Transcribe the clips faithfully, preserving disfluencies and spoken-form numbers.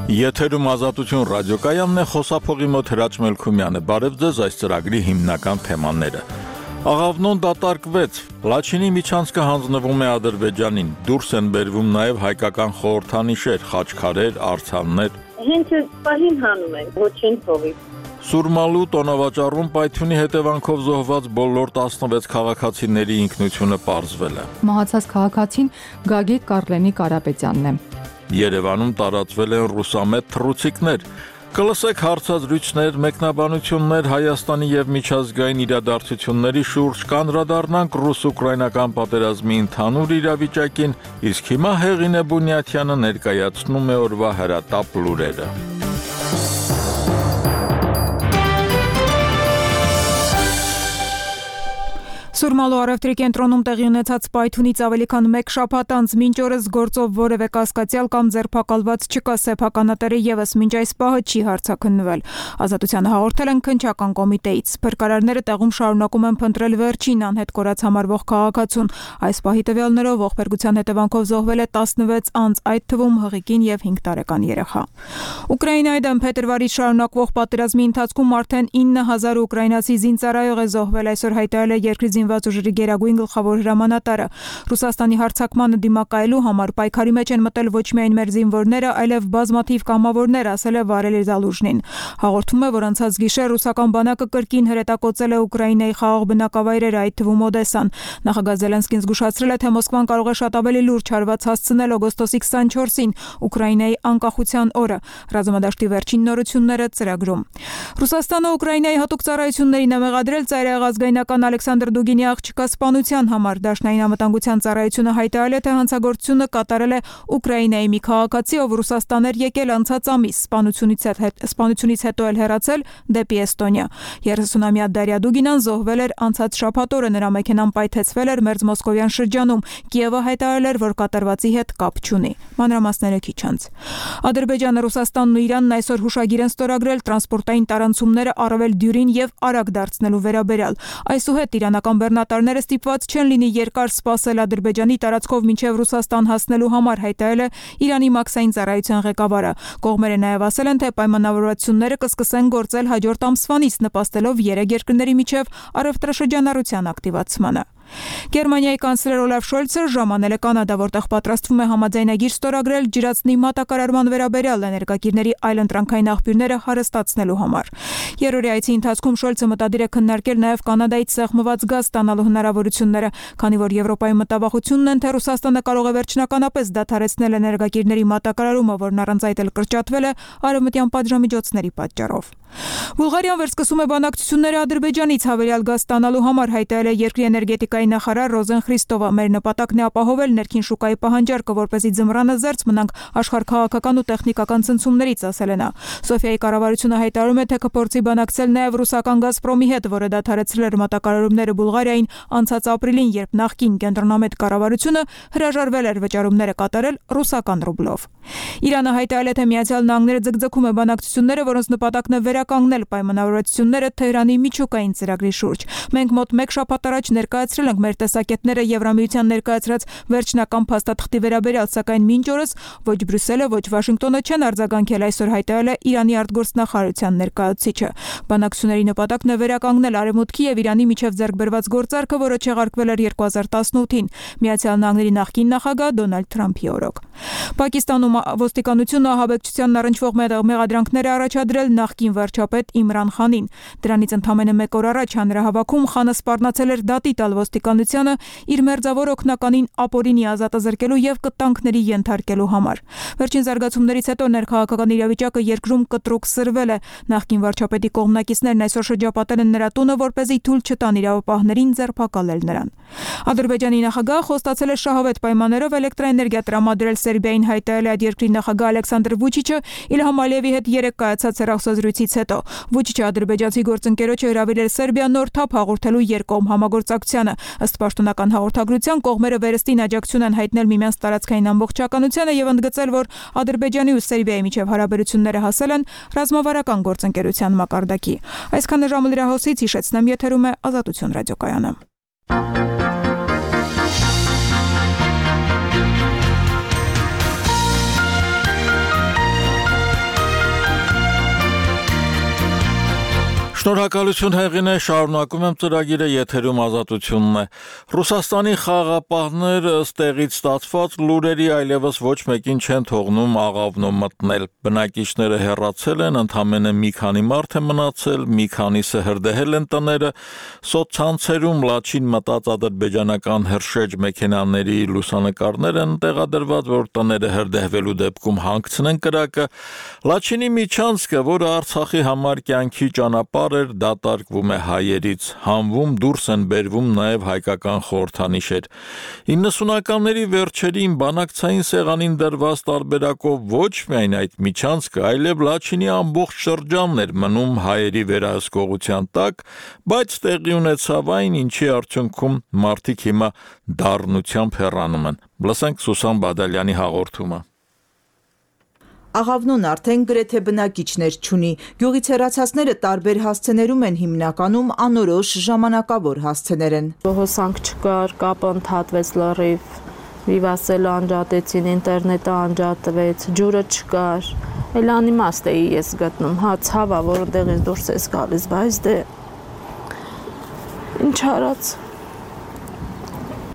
Եթերում Ազատություն ռադիոկայանն է, խոսափողի մոտ Հրաչ Մելքումյանը։ Բարև ձեզ, այս ծրագրի հիմնական թեմաները։ Աղավնոն դատարկվեց, Լաչինի միջանցքը հանձնվում է Ադրբեջանին, դուրս են բերվում նաև հայկական խորհրդանիշեր, խաչքարեր, արձաններ։ Հենց պահին հանում են, ոչինչ փողի։ Սուրմալու տոնավաճառում պայթյունի հետևանքով զոհված բոլոր տասնվեց քաղաքացիների ինքնությունը պարզվել է։ Մահացած քաղաքացին Գագիկ Կարլենի Կարապետյանն է։ Երևանում տարածվել են ռուսամետ թռուցիկներ։ Կլսեք հարցազրույցներ, մեկնաբանություններ Հայաստանի եւ միջազգային իրադարձությունների շուրջ, կանդրադառնանք ռուս-ուկրաինական պատերազմի ընդհանուր իրավիճակին, իսկ հիմա Հեղինե Բունյաթյանը ներկայացնում է օրվա հրատապ լուրերը։ Սուրմալու առևտրի կենտրոնում տեղի ունեցած պայթյունից ավելի քան մեկ շաբաթ անց մինչ օրս գործով որևէ կասկածյալ կամ ձերբակալված չկա, սեփականատերը եւս մինչ այս պահը չի հարցաքննվել։ Ազատությանը հաղորդել են քննչական կոմիտեից։ Փրկարարները տեղում շարունակում են փնտրել վերջին անհետ կորած համարվող քաղաքացուն։ Այս պահի տվյալներով ողբերգության հետևանքով զոհվել է տասնվեց անձ, այդ թվում հղիկին եւ հինգ տարեկան երեխա։ Ուկրաինայի դեմ փետրվարից շարունակվող պատերազմի ընթացքում արդեն ինը հազար ուկրաինացի զինծառայող է զոհվել, այսօր հայտարարել է երկրի զինված ուժերի գերագույն գլխավոր հրամանատարը։ Ռուսաստանի հարձակմանը դիմակայելու համար պայքարի մեջ են մտել ոչ միայն մեր զինվորները, այլև բազմաթիվ կամավորներ, ասել է Վարելի Զալուժնին։ Հաղորդում է, որ անցած գիշեր ռուսական բանակը կրկին հրետակոծել է Ուկրաինայի խաղաղ բնակավայրերը, այդ թվում Օդեսան։ Նախագահ Զելենսկին զգուշացրել է, թե Մոսկվան կարող է շատ ավելի լուրջ հարված հասցնել օգոստոսի քսանչորսին, Ուկրաինայի անկախության օրը։ Ռազմադաշտի վերջին նորությունները ծրագրում։ Ռուսաստանը Ուկրաինայի հատուկ ծառայություններին է մեղադրել ծայրահեղ ազգայնական Ալեքսանդր Դուգինի աղջկա սպանության համար։ Դաշնային անվտանգության ծառայությունը հայտարարել է, թե հանցագործությունը կատարել է Ուկրաինայի մի քաղաքացի, ով Ռուսաստան էր եկել անցած ամիս, սպանությունից սպանությունից հետո էլ հեռացել դեպի Էստոնիա։ երեսունամյա Դարիա Դուգինան զոհվել էր անցած շաբաթ օրը, նրա մեքենան պայթեցվել էր Մերձմոսկովյան շրջանում։ Կիևը հայտարարել էր, որ կատարվածի հետ կապ չունի։ Մանրամասները քիչ անց։ Ադրբեջանը, Ռուսաստանն ու Իրանն այսօր հուշագիր են ստորագրել տրանսպորտային տարանցումները առավել դյուրին եւ արագ դարձնելու վերաբերյալ։ Այսուհետ իրանական բեռնատարները ստիպված չեն լինի երկար սպասել Ադրբեջանի տարածքով մինչև Ռուսաստան հասնելու համար, հայտարարել է Իրանի մաքսային ծառայության ղեկավարը։ Կողմերը նաև ասել են, թե պայմանավորվածությունները կսկսեն գործել հաջորդ ամսվանից, նպաստելով երեք երկրների միջև առևտրաշրջանառության ակտիվացմանը։ Գերմանիայի կանցլեր Օլաֆ Շոլցը ժամանել է Կանադա, որտեղ պատրաստվում է համաձայնագիր ստորագրել ջրածնի մատակարարման վերաբերյալ էներգակիրների այլընտրանքային աղբյուրները հարստացնելու համար։ Երրորդի այցի ընթացքում Շոլցը մտադիր է քննարկել նաև Կանադայից սեղմված գազ ստանալու հնարավորությունները, քանի որ Եվրոպայի մտավախությունն են, թե Ռուսաստանը կարող է վերջնականապես դադարեցնել էներգակիրների մատակարարումը, որն առանց այդ էլ կրճատվել է արևմտյան պատժամիջոցների պատճառով։ Բուլղարիան վերսկսում է բանակցությունները Ադրբեջանից հավելյալ գազ ստանալու համար, հայտարարել է երկրի էներգետիկայի նախարար Ռոզեն Խրիստովը։ Մեր նպատակն է ապահովել ներքին շուկայի պահանջարկը, որպեսզի ձմռանը զերծ մնանք աշխարհքաղաքական ու տեխնիկական ցնցումներից, ասել է նա։ Սոֆիայի կառավարությունը հայտարարում է, թե կփորձի բանակցել նաև ռուսական Գազպրոմի հետ, որը դադարեցրել էր մատակարարումները Բուլղարիային անցած ապրիլին, երբ նախկին կենտրոնամետ կառավարությունը հրաժարվել էր վճարումները կատարել ռուսական ռուբլով։ Իրանը հայտարարել է, թե Միացյալ Նահանգները ձգձգում է բանակցությունները, որոնց նպատակն է վերականգնել պայմանավորվածությունները Թեհրանի միջուկային ծրագրի շուրջ։ Մենք մոտ մեկ շաբաթ առաջ ներկայացրել ենք մեր տեսակետները Եվրամիության ներկայացրած վերջնական փաստաթղթի վերաբերյալ, սակայն մինչ օրս ոչ Բրյուսելը, ոչ Վաշինգտոնը չեն արձագանքել, այսօր հայտարարել է Իրանի արտգործնախարարության ներկայացուցիչը։ Բանակցությունների նպատակն է վերականգնել Արևմուտքի եւ Իրանի միջև ձեռք բերված գործարքը, որը չեղարկվել էր երկու հազար տասնութին Միացյալ Նահանգների նախկին նախագահ Դոնալդ Թրամփի օրոք։ Պակիստանում ոստիկանությունը ահաբեկչությանն առնչվող մեղադրանքներ է առաջադրել նախկին վարչապետ Իմրան Խանին։ Դրանից ընդամենը մեկ օր առաջ հանրահավաքում Խանը սպառնացել էր դատի տալ ոստիկանությանը իր մերձավոր օգնականին ապօրինի ազատազրկելու եւ կտանքների ենթարկելու համար։ Վերջին զարգացումներից հետո ներքաղաքական իրավիճակը երկրում կտրուկ սրվել է։ Նախկին վարչապետի կողմնակիցներն այսօր շրջապատել են նրա տունը, որպեսզի թույլ չտան իրավապահներին ձերբակալել նրան։ Ադրբեջանի նախագահը խոստացել է շահավետ պայմաններով էլեկտրաէներգիա տրամադրել Սերբիային, հայտարարել է այդ երկրի նախագահ Ալեքսանդր Վուչիչը Իլհամ Ալիևի հետ երեկ կայացած հեռախոսազրույցից հետո։ Վուչիչը ադրբեջանցի գործընկերոջը հրավիրել Սերբիա նոր թափ հաղորդելու երկկողմ համագործակցությանը։ Ըստ պաշտոնական հաղորդագրության կողմերը վերստին աջակցություն են հայտնել միմյանց տարածքային ամբողջականությանը եւ ընդգծել, որ Ադրբեջանի ու Սերբիայի միջև հարաբերությունները հասել են ռազմավարական գործընկերության մակարդակի։ Այսքանը ժամը լրահոսից հիշեցնեմ, եթերում է Ազատություն ռադիոկայանը։ Շնորհակալություն Հեղինե, շարունակում եմ ծրագիրը, եթերում Ազատությունն է։ Ռուսաստանի խաղաղապահներ ըստ տեղից ստացված լուրերի այլևս ոչ մեկին չեն թողնում աղավնո մտնել։ Բնակիչները հեռացել են, ընդամենը մի քանի մարդ է մնացել, մի քանիսը հրդեհել են տները։ Սոցցանցերում լաչին մտած ադրբեջանական հրշեջ մեքենաների լուսանկարներ են տեղադրված, որ տները հրդեհվելու դեպքում հանգցնեն կրակը։ Լաչինի միջանցքը, որը Արցախի համար կյանքի ճանապարհ էր, դատարկվում է հայերից, հանվում դուրս են բերվում նաև հայկական խորհրդանիշեր։ իննսունականների վերջերին բանակցային սեղանին դրված տարբերակով ոչ միայն այդ միջանցքը, այլև Լաչինի ամբողջ շրջանն էր մնում հայերի վերահսկողության տակ, բայց տեղի ունեցավ այն, ինչի արդյունքում մարդիկ հիմա դառնությամբ հեռանում են։ Լսենք Սուսան Բադալյանի հաղորդումը։ Աղավնոն արդեն գրեթե բնակիչներ չունի։ Գյուղից հեռացածները տարբեր հասցեներում են, հիմնականում անորոշ ժամանակավոր հասցեներ են։ Հոսանք չկար, կապը ընդհատվեց լրիվ, վիվասելը անջատեցին, ինտերնետը անջատվեց, ջուրը չկար։ Էլ անիմաստ էի ես գտնում, հա ցավա, որ այնտեղից դուրս ես գալիս, բայց դե ինչ արած։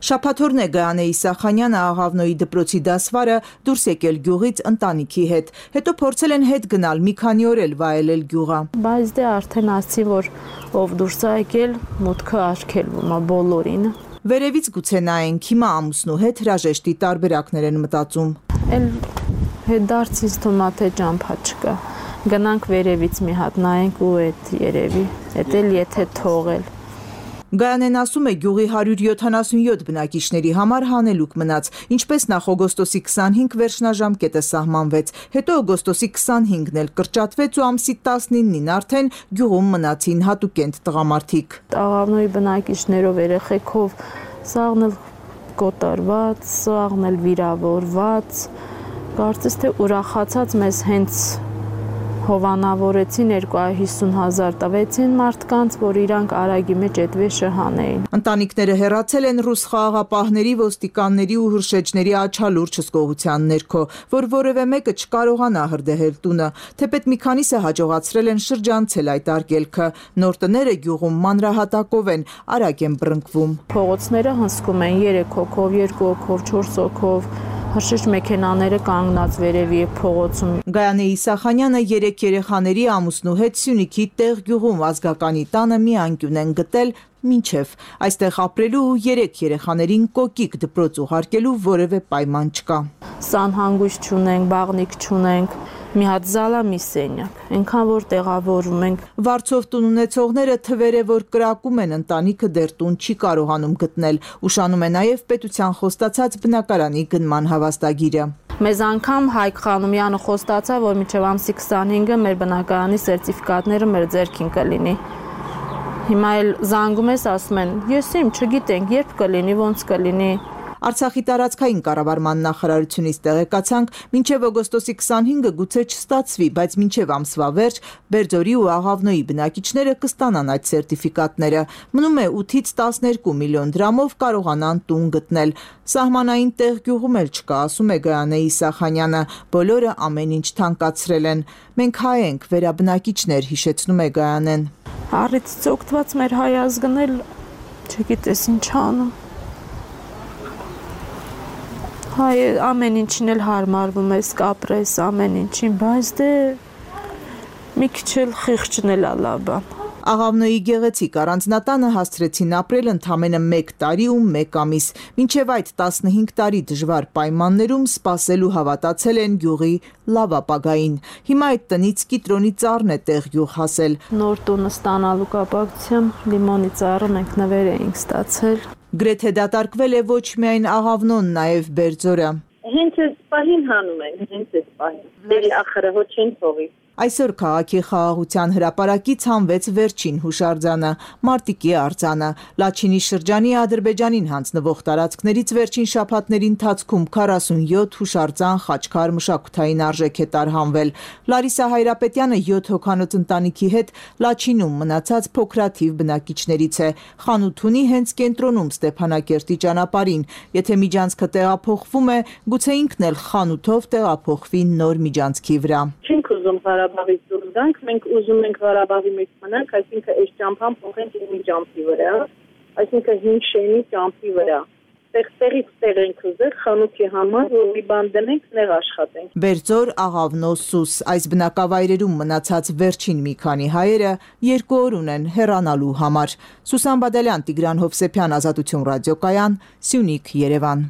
Շաբաթօրն է Գայանե Իսախանյանը, Աղավնոյի դպրոցի դասվարը, դուրս եկել գյուղից ընտանիքի հետ։ Հետո փորձել են հետ գնալ, մի քանի օր էլ վայելել գյուղը։ Բայց դե արդեն ասի, որ ով դուրս է եկել, մուտքը արգելվում է բոլորին։ Վերևից գուցե նայենք, հիմա ամուսնու հետ հրաժեշտի տարբերակներ են մտածում։ Էլ հետ դարձից թվում է թե ճամփա չկա։ Գնանք վերևից մի հատ նայենք ու այդ երևի, էդ էլ եթե թողել։ Գայանեն ասում է, գյուղի հարյուր յոթանասունյոթ բնակիչների համար հանելուկ մնաց, ինչպես նախ օգոստոսի քսանհինգ վերջնաժամկետը սահմանվեց, հետո օգոստոսի քսանհինգն էլ կրճատվեց ու ամսի տասնինին արդեն գյուղում մնացին հատուկենտ տղամարդիկ։ Աղավնոյի բնակիչներով, երեխեքով, սաղն էլ կոտորված, սաղն էլ վիրավորված, կարծես թե ուրախացած մեզ հենց հովանավորեցին երկու հարյուր հիսուն հազար տվեցին մարդկանց, որ իրանք արագի մեջ այդ վեշը հանեին։ Ընտանիքները հեռացել են ռուս խաղաղապահների, ոստիկանների ու հրշեջների աչալուրջ հսկողության ներքո, որ որևէ մեկը չկարողանա հրդեհել տունը, թեպետ մի քանիսը հաջողացրել են շրջանցել այդ արգելքը։ Նոր տները գյուղում մանրահատակով են, արագ են բռնկվում։ Փողոցները հսկում են երեք հոգով, երկու հոգով, չորս հոգով։ Հրշեջ մեքենաները կանգնած վերևի փողոցում։ Գայանե Իսախանյանը երեք երեխաների ամուսնու հետ Սյունիքի տեղ գյուղում ազգականի տանը մի անկյուն են գտել մինչև այստեղ ապրելու ու երեք երեխաներին կոկիկ դպրոց ուղարկելու որևէ պայման չկա։ Սանհանգույց չունենք, բաղնիկ չունենք, մի հատ զալա մի սենյակ, այնքան որ տեղավորում ենք։ Վարձով տուն ունեցողները թվեր է, որ կրակում են, ընտանիքը դեռ տուն չի կարողանում գտնել, ուշանում է նաև պետության խոստացած բնակարանի գնման հավաստագիրը։ Մեզ անգամ Հայկ Խանոմյանը խոստացավ, որ մինչև ամսի քսանհինգը մեր բնակարանի սերտիֆիկատները մեր ձեռքին կլինի։ Հիմա էլ զանգում ես, ասում են, ես իմ չգիտենք, երբ կլինի, ոնց կլինի։ Արցախի տարածքային կառավարման նախարարությունից տեղեկացանք, մինչև օգոստոսի քսանհինգը գուցե չստացվի, բայց մինչև ամսվա վերջ Բերձորի ու Աղավնոյի բնակիչները կստանան այդ սերտիֆիկատները։ Մնում է ութից տասներկու միլիոն դրամով կարողանան տուն գտնել։ Սահմանային տեղ գյուղում էլ չկա, ասում է Գայանե Իսախանյանը, բոլորը ամեն ինչ թանկացրել են։ Մենք հայ ենք, վերաբնակիչներ, հիշեցնում է Գայանեն։ Առիթից օգտված մեր հայ ազգն էլ չգիտես ինչ անում։ Հայ ամեն ինչին էլ հարմարվում ես, կապրես ամեն ինչին, բայց դե մի քիչ էլ խիղճն էլ լավ բան։ Աղավնոյի գեղեցիկ առանձնատանը հասցրեցին ապրել ընդամենը մեկ տարի ու մեկ ամիս, մինչև այդ տասնհինգ տարի դժվար պայմաններում սպասել ու հավատացել են գյուղի լավ ապագային։ Հիմա այդ տնից կիտրոնի ծառն է տեղ գյուղ հասել։ Նոր տունը ստանալու կապակցությամբ լիմոնի ծառը մենք նվեր էինք ստացել։ Գրեթե դատարկվել է ոչ միայն Աղավնոն, նաև Բերձորը։ Հենց այս պահին հանում են, հենց այս պահին։ Դերի ախրը ոչ չեն թողի։ Այսօր քաղաքի խաղաղության հրապարակից հանվեց վերջին հուշարձանը՝ Մարտիկի արձանը։ Լաչինի շրջանի Ադրբեջանին հանձնվող տարածքներից վերջին շաբաթների ընթացքում քառասունյոթ հուշարձան խաչքար մշակութային արժեք է տարհանվել։ Լարիսա Հայրապետյանը յոթ հոգանոց ընտանիքի հետ Լաչինում մնացած փոքրաթիվ բնակիչներից է։ Խանութ ունի հենց կենտրոնում Ստեփանակերտի ճանապարհին։ Եթե միջանցքը տեղափոխվում է, գուցե ինքն էլ խանութով տեղափոխվի նոր միջանցքի վրա։ Չենք ուզում Ղարաբաղից դուրս գանք, մենք ուզում ենք Ղարաբաղի մեջ մնանք, այսինքն այս ճամփան փոխենք իմի ճամփի վրա, այսինքն հին շենի ճամփի վրա։ Տեղից տեղ ենք ուզել խանութի համար, որ մի բան դնենք, նեղ աշխատենք։ Բերձոր, Աղավնո, Սուս այս բնակավայրերում մնացած վերջին մի քանի հայերը երկու օր ունեն հեռանալու համար։ Սուսան Բադալյան, Տիգրան Հովսեփյան, Ազատություն ռադիոկայան, Սյունիք, Երևան։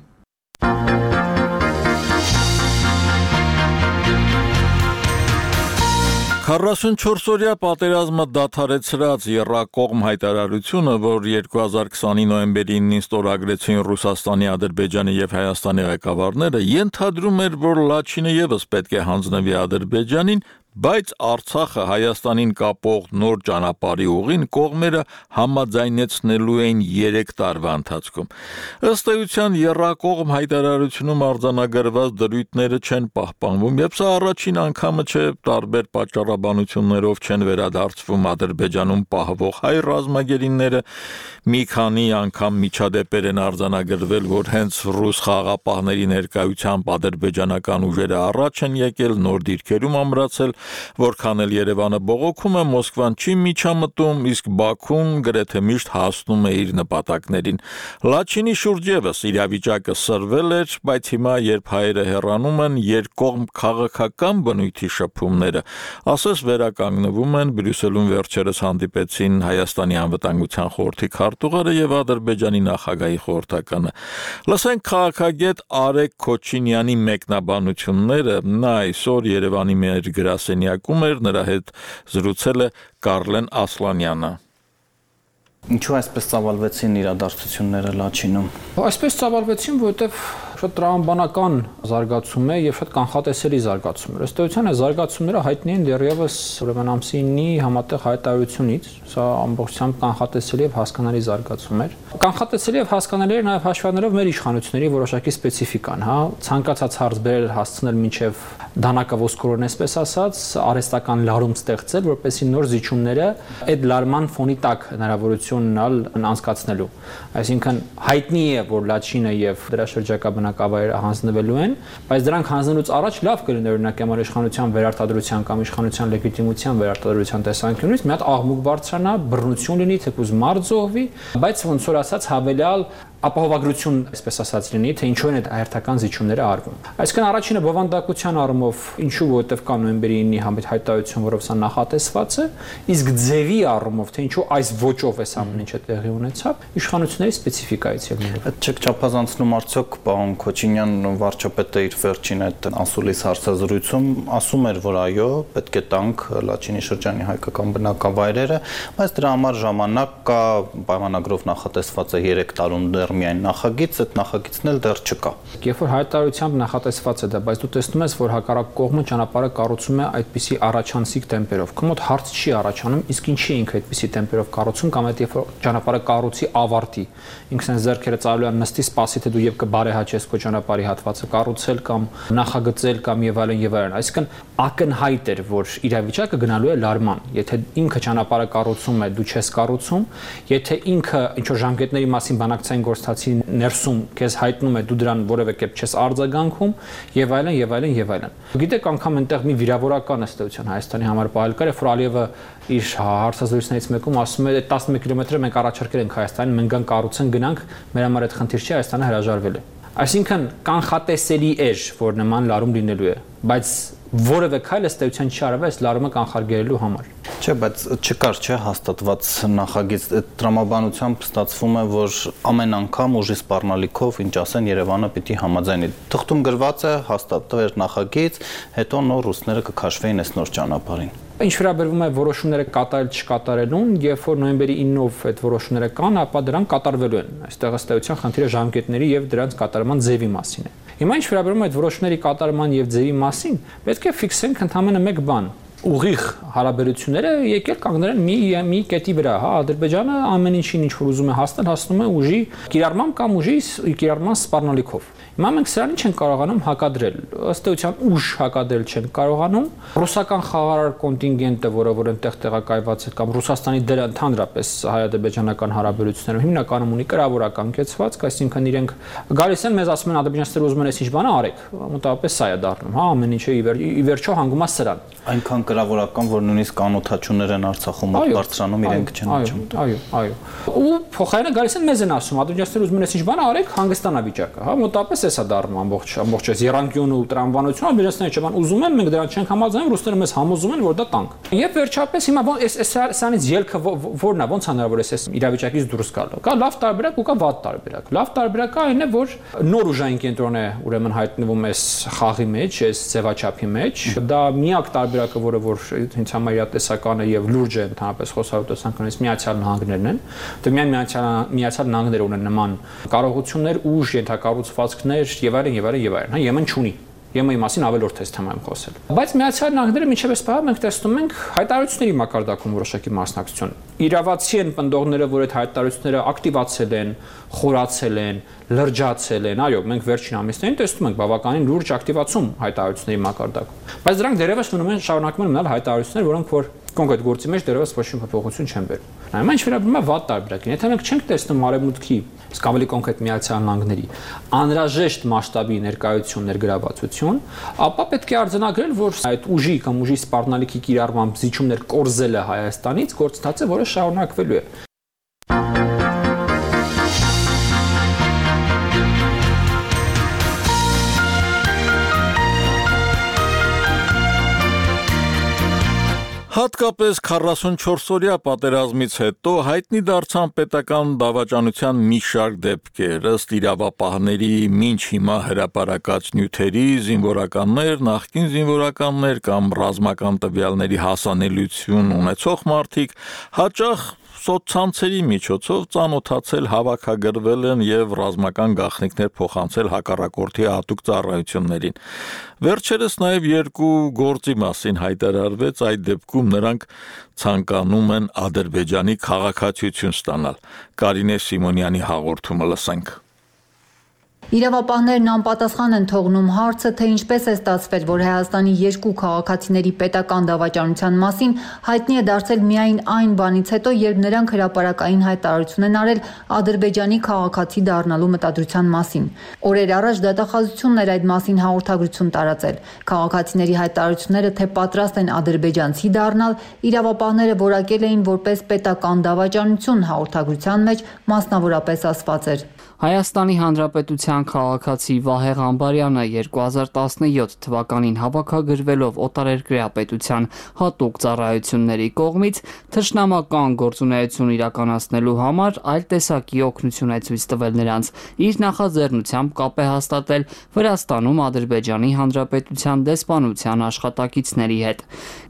քառասունչորս-օրյա պատերազմը դադարեցրած եռակողմ հայտարարությունը, որ երկու հազար քսանի նոյեմբերի իննին ստորագրեցին Ռուսաստանի, Ադրբեջանի եւ Հայաստանի ղեկավարները, ենթադրում էր, որ Լաչինը եւս պետք է հանձնվի Ադրբեջանին, բայց Արցախը Հայաստանին կապող նոր ճանապարհի ուղին կողմերը համաձայնեցնելու են երեք տարվա ընթացքում։ Ըստ էության եռակողմ հայտարարությունում արձանագրված դրույթները չեն պահպանվում, եւ սա առաջին անգամը չէ, տարբեր պատճառաբանություններով չեն վերադարձվում Ադրբեջանում պահվող հայ ռազմագերիները, մի քանի անգամ միջադեպեր են արձանագրվել, որ հենց ռուս խաղաղապահների ներկայությամբ ադրբեջանական ուժերը առաջ են եկել, նոր դիրքերում ամրացել, որքան էլ Երևանը բողոքում է, Մոսկվան չի միջամտում, իսկ Բաքուն գրեթե միշտ հասնում է իր նպատակներին։ Լաչինի շուրջ եւս իրավիճակը սրվել էր, բայց հիմա, երբ հայերը հեռանում են, երկկողմ քաղաքական բնույթի շփումները ասես վերականգնվում են։ Բրյուսելում վերջերս հանդիպեցին Հայաստանի անվտանգության խորհրդի քարտուղարը եւ Ադրբեջանի նախագահի խորհրդականը։ Լսենք քաղաքագետ Արեգ Քոչինյանի մեկնաբանությունները, նա այսօր Երևանի մեր գրասենյակում էր, նրա հետ զրուցել է Կարլեն Ասլանյանը։ Ինչու այսպես ծավալվեցին իրադարձությունները Լաչինում։ Այսպես ծավալվեցին, որովհետև շատ տրամաբանական զարգացում է եւ շատ կանխատեսելի զարգացում է։ Ըստ էության այս զարգացումները հայտնի են դեռևս ուրեմն ամսինի համատեղ հայտարարությունից, սա ամբողջությամբ կանխատեսելի եւ հասկանալի զարգացում էր։ Կանխատեսելի եւ հասկանալի էր նաեւ հաշվառելով մեր իշխանությունների որոշակի սպეციფիկան, հա, ցանկացած հարց բերել հասցնել մինչեւ դանակը ոսկորոն, այսպես ասած, արհեստական լարում ստեղծել, որպեսզի նոր զիջումները այդ լարման ֆոնի տակ հնարավորություն ունենալ անցկացնելու։ Այսինքն հայտնի է, որ Լաչինը եւ դրա շրջակա բնակավայրը հանձնվելու են, բայց դրանք հանձնելուց առաջ լավ կլիներ օրինակ ямар իշխանության վերարտադրության կամ իշխանության լեգիտիմության վերարտադրության տեսանկյունից մի հատ աղմուկ բարձրանա, բռնություն լինի, թեկուզ մարդ զոհվի, բայց ոնց որ ասած հավելյալ ապահովագրություն, այսպես ասած, լինի, թե ինչու են այդ հերթական զիջումները արվում։ Այսինքն առաջինը բովանդակության առումով, ինչու որովհետև կա նոյեմբերի իննի համիտ հայտարարություն, որով սա նախատեսված է, իսկ ձևի առումով, թե ինչու այս ոճով էս ամեն ինչը տեղի ունեցավ, իշխանությունների սպეციფիկայից ելնելով։ Այդ չեք չափազանցնում արդյոք պարոն Քոչինյան, վարչապետը իր վերջին այդ անսուլիս հարցազրույցում ասում էր, որ այո, պետք է տանք Լաչինի շրջանի հայկական բնակավայրերը, բայց դրա համար ժամանակ կա, պայմանագրով նախատեսված է երեք տարում դեռ միայն նախագիծ, այդ նախագիծն էլ դեռ չկա։ Երբ որ հայտարարությամբ նախատեսված է դա, բայց դու տեսնում ես, որ հակառակ կողմը ճանապարհը կառուցում է այդպիսի առաջանցիկ տեմպերով։ Քո մոտ հարց չի առաջանում, իսկ ինչի ինքը այդպիսի տեմպերով կառուցում կամ այդ երբ որ ճանապարհը կառուցի ավարտի, ինքն այն ձեռքերը ծալու են նստի սպասի, թե դու եւ կբարեհաճես քո ճանապարհի հատվածը կառուցել կամ նախագծել կամ եւ այլն եւ այլն։ Այսինքն ակնհայտ էր, որ իրավիճակը գնալու է լարման։ Եթե ինքը ճանապարհը կառուցում է, դու չես կառուցում, եթե ինքը ինչ որ ժամկետների մասին բանակցային գործընթացի ներսում քեզ հայտնում է, դու դրան որևէ կերպ չես արձագանքում եւ այլն եւ այլն եւ այլն։ Գիտեք, անգամ այնտեղ մի վիրավորական ըստեյության Հայաստանի համար պահել կար, որ Ալիևը իր հարցազրույցներից մեկում ասում է տասնմեկ կիլոմետրը մենք առաջարկել ենք Հայաստանին, մենք գան կառուցեն գնանք, մեր համար այդ խնդիր չի, Հայաստանը հրաժարվել է։ Այսինքն կանխատեսելի էր, որ նման լարում լինելու է, բայց որևէ քայլ ըստեյության չի արվել այս լարումը կանխարգելելու համար։ Չէ, բայց չկար, չէ, հաստատված նախագիծ։ Այդ տրամաբանությամբ ստացվում է, որ ամեն անգամ ուժի սպառնալիքով, ինչ ասեն, Երևանը պիտի համաձայնի։ Թղթում գրված է հաստատվեր նախագիծ, հետո նոր ռուսները կքաշվեին այս նոր ճանապարհին։ Ինչ վերաբերվում է որոշումները կատարել չկատարելուն, երբ որ նոյեմբերի իննով այդ որոշումները կան, ապա դրանք կատարվելու են։ Այստեղ ըստեյության խնդիրը ժամկետների եւ դրանց կատարման ձևի մասին է։ Հիմա ինչ վերաբերում է այդ որոշումների կատարման եւ ձևի մասին, պետք է ֆիքսենք ընդհանրապես մեկ բան, ուղիղ հարաբերությունները եկել կանգնել են մի մի կետի վրա, հա, Ադրբեջանը ամեն ինչին ինչ որ ուզում է հասնել, հասնում է ուժի կիրառմամբ կամ ուժի կիրառման սպառնալիքով։ Հիմա մենք սրանին չեն կարողանում հակադրել, ըստ էության ուժ հակադրել չեն կարողանում։ Ռուսական խաղարար կոնտինգենտը, որը որ այնտեղ տեղակայված է, կամ Ռուսաստանի դերը ընդհանրապես հայ-ադրբեջանական հարաբերություններում հիմնականում ունի կրավորական կեցվածք, այսինքն իրենք գալիս են մեզ ասում են ադրբեջանցիները ուզում են այս ինչ բանը արեք, մոտավորապես սա է դառնում, հա, ամեն ինչը ի վերջո հանգում է սրան։ Այնքան կրավորական, որ նույնիսկ կանոթաչուներ են Արցախում մոտ բարձրանում, իրենք չեն աճում։ Այո, այո։ Ու փոխարենը գալիս են մեզ են ասում, ադրբեջանցիները ուզում են այս ինչ բանը արեք, հանգստանա վիճակը, հա, մոտավորապես էսա դառնում ամբողջ ամբողջ այս երանգյուն ու տրամաբանությունը, ադրբեջանցիները չեն ուզում են, մենք դրան չենք համաձայնում, ռուսները մեզ համոզում են, որ դա տանկ։ Եվ վերջապես հիմա այս այս սրանից ելքը որն է, ոնց հնարավոր է այս իրավիճակից դուրս գալը։ Կա լավ տարբերակ ու կա վատ տարբերակ։ Լավ տարբերակը այն է, որ նոր ուժային կենտրոն է ուրեմն հայտնվում այս խաղի մեջ, այս ձևաչափի մեջ։ Դա միակ տարբերակը, որը որ ինձ համար իրատեսական է եւ լուրջ է ընդհանրապես խոսալուտեսանքից Միացյալ Նահանգներն են։ Դե միայն Միացյալ Միացյալ Նահանգները ունեն նման կարողություններ, ուժ, ենթակառուցվածքներ եւ այլն եւ այլն եւ այլն, հա, Եմեն չունի։ Եմենի մասին ավելորդ է թեմայում խոսել։ Բայց Միացյալ Նահանգները մինչև այս պահը մենք տեսնում ենք հայտարարությունների մակարդակում որոշակի մասնակցություն։ Իրավացի են պնդողները, որ այդ հայտարարությունները ակտիվացել են, խորացել են, լրջացել են։ Այո, մենք վերջին ամիսներին տեսնում ենք բավականին լուրջ ակտիվացում հայտարարությունների մակարդակում։ Բայց դրանք դեռևս մնում են շարունակում են մնալ հայտարարություններ, որոնք որ կոնկրետ գործի մեջ դեռևս ոչ մի փոփոխություն չեն բերում։ Նայում ինչ վերաբերում է վատ տարբերակին, եթե մենք չենք տեսնում արևմուտքի, իսկ ավելի կոնկրետ Միացյալ Նահանգների անհրաժեշտ մասշտաբի ներկայություն, ներգրավվածություն, ապա պետք է արձանագրել, որ այդ ուժի կամ ուժի սպառնալիքի կիրառմամբ զիջումներ կորզելը Հայաստանից գործընթաց է, որը շարունակվելու է։ Հատկապես քառասունչորս-օրյա պատերազմից հետո հայտնի դարձան պետական դավաճանության մի շարք դեպքեր, ըստ իրավապահների մինչ հիմա հրապարակած նյութերի, զինվորականներ, նախկին զինվորականներ կամ ռազմական տվյալների հասանելիություն ունեցող մարդիկ հաճախ սոցցանցերի միջոցով ծանոթացել, հավաքագրվել են եւ ռազմական գաղտնիքներ փոխանցել հակառակորդի հատուկ ծառայություններին։ Վերջերս նաեւ երկու գործի մասին հայտարարվեց, այդ դեպքում նրանք ցանկանում են Ադրբեջանի քաղաքացիություն ստանալ։ Կարինե Սիմոնյանի հաղորդումը լսենք։ Իրավապահներն անպատասխան են թողնում հարցը, թե ինչպես է ստացվել, որ Հայաստանի երկու քաղաքացիների պետական դավաճանության մասին հայտնի է դարձել միայն այն բանից հետո, երբ նրանք հրապարակային հայտարարություն են արել Ադրբեջանի քաղաքացի դառնալու մտադրության մասին։ Օրեր առաջ դատախազությունն էր այդ մասին հաղորդագրություն տարածել։ Քաղաքացիների հայտարարությունները, թե պատրաստ են ադրբեջանցի դառնալ, իրավապահները որակել էին որպես պետական դավաճանություն, հաղորդագրության մեջ մասնավորապես ասված էր. Հայաստանի Հանրապետության քաղաքացի Վահե Ղամբարյանը երկու հազար տասնյոթ թվականին հավաքագրվելով օտարերկրյա պետության հատուկ ծառայությունների կողմից թշնամական գործունեություն իրականացնելու համար այլ տեսակի օգնություն է ցույց տվել նրանց, իր նախաձեռնությամբ կապ է հաստատել Վրաստանում Ադրբեջանի Հանրապետության դեսպանության աշխատակիցների հետ։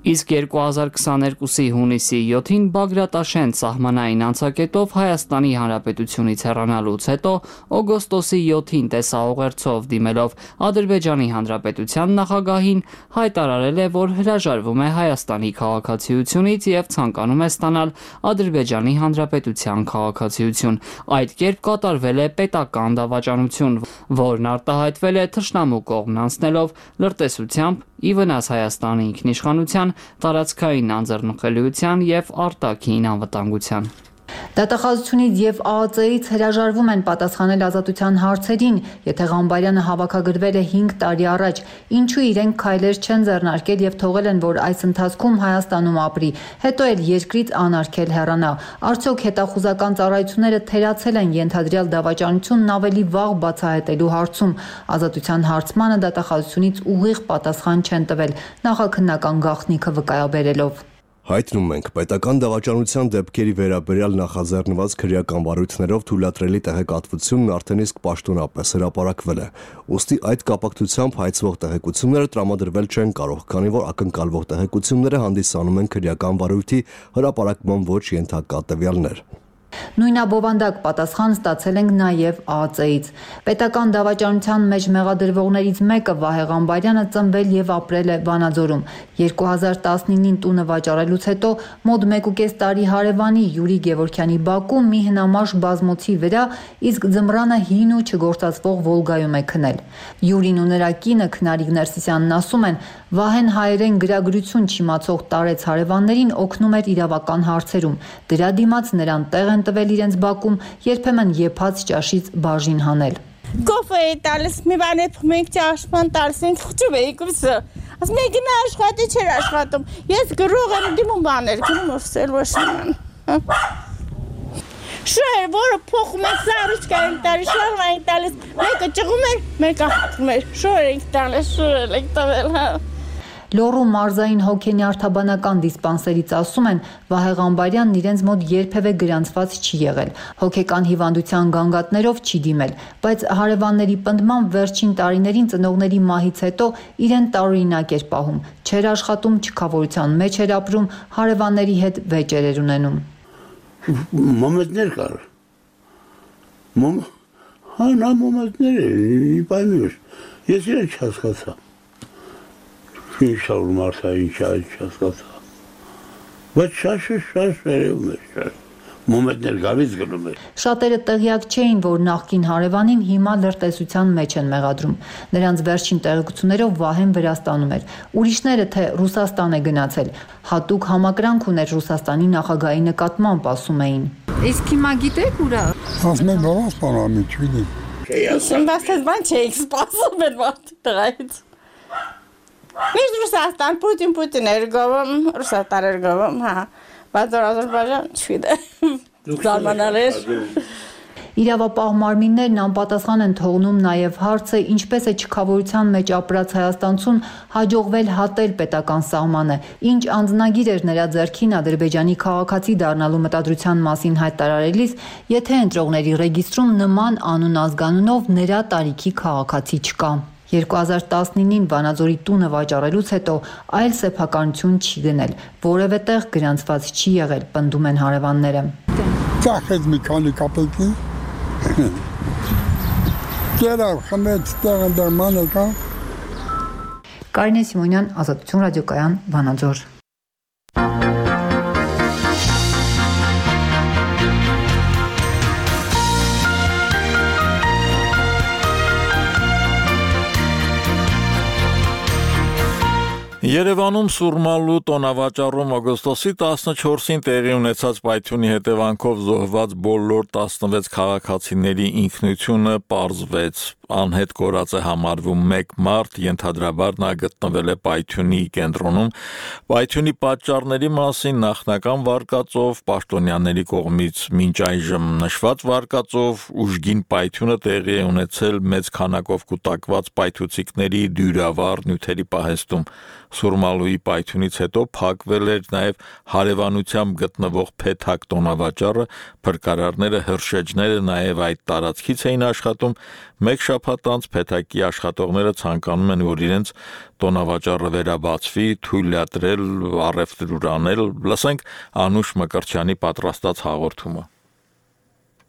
Իսկ երկու հազար քսաներկուսի հունիսի յոթին Բագրատաշեն սահմանային անցակետով Հայաստանի Հանրապետությունից հեռանալուց հետո օգոստոսի յոթին տեսաուղերձով դիմելով Ադրբեջանի Հանրապետության նախագահին հայտարարել է, որ հրաժարվում է Հայաստանի քաղաքացիությունից եւ ցանկանում է ստանալ Ադրբեջանի Հանրապետության քաղաքացիություն։ Այդ կերպ կատարվել է պետական դավաճանություն, որն արտահայտվել է թշնամու կողմն անցնելով լրտեսությամբ ի վնաս Հայաստանի ինքնիշխանության, տարածքային անձեռնխելիության եւ արտաքին անվտանգության։ Դատախազությունից եւ ԱԱԾ-ից հրաժարվում են պատասխանել ազատության հարցերին, եթե Ղամբարյանը հավաքագրվել է հինգ տարի առաջ, ինչու իրենք քայլեր չեն ձեռնարկել եւ թողել են, որ այս ընթացքում Հայաստանում ապրի, հետո էլ երկրից անարգել հեռանա։ Արդյոք հետախուզական ծառայությունները թերացել են ենթադրյալ դավաճանությունն ավելի վաղ բացահայտելու հարցում։ Ազատության հարցմանը դատախազությունից ուղիղ պատասխան չեն տվել, նախաքննական գաղտնիքը վկայաբերելով։ Հայտնում ենք, պետական դավաճանության դեպքերի վերաբերյալ նախաձեռնված քրեական վարույթներով թույլատրելի տեղեկատվությունն արդեն իսկ պաշտոնապես հրապարակվել է։ Ուստի այդ կապակցությամբ հայցվող տեղեկությունները տրամադրվել չեն կարող, քանի որ ակնկալվող տեղեկությունները հանդիսանում են քրեական վարույթի հրապարակման ոչ ենթակա տվյալներ։ Նույնաբովանդակ պատասխան ստացել ենք նաև ԱԱԾ-ից։ Պետական դավաճանության մեջ մեղադրվողներից մեկը Վահե Ղամբարյանը ծնվել եւ ապրել է Վանաձորում։ երկու հազար տասնինին տունը վաճառելուց հետո մոտ մեկուկես տարի հարևանի Յուրի Գևորգյանի բակում մի հնամաշ բազմոցի վրա, իսկ ձմռանը հին ու չգործածվող Վոլգայում է քնել։ Յուրին ու նրա կինը Քնարիկ Ներսիսյանն ասում են, Վահեն հայերեն գրագրություն չիմացող տարեց հարևաններին օգնում էր իրավական հարցերում։ Դրա դիմաց նրան տեղ են տվել իրենց բակում, երբեմն եփած ճաշից բաժին հանել։ Կոֆե էի տալիս, մի բան էփ մենք ճաշման տալիս ենք խճում էի կուսը։ Ասում էի գնա աշխատի չէր աշխատում։ Ես գրող եմ դիմում բաներ, գնում ուսել ոչնան։ Շուր որը փոխում են սարուչկա են տալիս, շուր են տալիս, մեկը ճղում էր, մեկը հատում էր, շուր ենք տալիս, շուր ենք տվել, հա։ Լոռու մարզային հոգենյարդաբանական դիսպանսերից ասում են, Վահե Ղամբարյանն իրենց մոտ երբևէ գրանցված չի եղել, հոգեկան հիվանդության գանգատներով չի դիմել, բայց հարևանների պնդմամբ վերջին տարիներին ծնողների մահից հետո իրեն տարօրինակ էր պահում, չէր աշխատում, չքավորության մեջ էր ապրում, հարևանների հետ վեճեր էր ունենում։ Մոմեդներ կար։ Մոմ հա նա մոմեդներ է, պայմիր։ Ես իրեն չհասկացա։ Ինչ շարում արթա, ինչ չհասկացա։ Բայց շաշը շաշ վերևում էր շաշ։ Մոմեդներ գալիս գնում էր։ Շատերը տեղյակ չէին, որ նախկին հարևանին հիմա լրտեսության մեջ են մեղադրում։ Նրանց վերջին տեղեկություններով Վահեն Վրաստանում էր։ Ուրիշները թե Ռուսաստան է գնացել։ Հատուկ համակրանք ուներ Ռուսաստանի նախագահի նկատմամբ, ասում էին։ Իսկ հիմա գիտեք ուրա։ Ասում են Ռուսաստան ամի չգիտեմ։ Իշն բաստես բան չէիք սպասում էր բան տղայից։ Միշտ Ռուսաստան, Պուտին Պուտին էր գովում, Ռուսաստան էր գովում, հա։ Բայց Ադրբեջան չգիտեմ։ Զարմանալ էր։ Իրավապահ մարմիններն անպատասխան են թողնում նաև հարցը, ինչպես է չքավորության մեջ ապրած հայաստանցուն հաջողվել հատել պետական սահմանը, ինչ անձնագիր էր նրա ձեռքին Ադրբեջանի քաղաքացի դառնալու մտադրության մասին հայտարարելիս, եթե ընտրողների ռեգիստրում նման անուն ազգանունով նրա տարիքի քաղաքացի չկա։ երկու հազար տասնինին Վանաձորի տունը վաճառելուց հետո այլ սեփականություն չի գնել, որևէ տեղ գրանցված չի եղել, պնդում են հարևանները։ Ծախեց մի քանի կապիկի։ Դեռ խմեց տեղը դրմանը կա։ Կարինե Սիմոնյան, Ազատություն ռադիոկայան, Վանաձոր։ Երևանում Սուրմալու տոնավաճառում օգոստոսի տասնչորսին տեղի ունեցած պայթյունի հետևանքով զոհված բոլոր տասնվեց քաղաքացիների ինքնությունը պարզվեց։ Անհետ կորած է համարվում մեկ մարդ, ենթադրաբար նա գտնվել է պայթյունի կենտրոնում։ Պայթյունի պատճառների մասին նախնական վարկածով պաշտոնյաների կողմից մինչ այժմ նշված վարկածով ուժգին պայթյունը տեղի է ունեցել մեծ քանակով կուտակված պայթուցիկների դյուրավառ նյութերի պահեստում։ Սուրմալուի պայթյունից հետո փակվել էր նաև հարևանությամբ գտնվող Փեթակ տոնավաճառը, փրկարարները, հրշեջները նաև այդ տարածքից էին աշխատում։ Մեկ շաբաթ անց Փեթակի աշխատողները ցանկանում են, որ իրենց տոնավաճառը վերաբացվի, թույլատրել, առևտուր անել։ Լսենք Անուշ Մկրտչյանի պատրաստած հաղորդումը։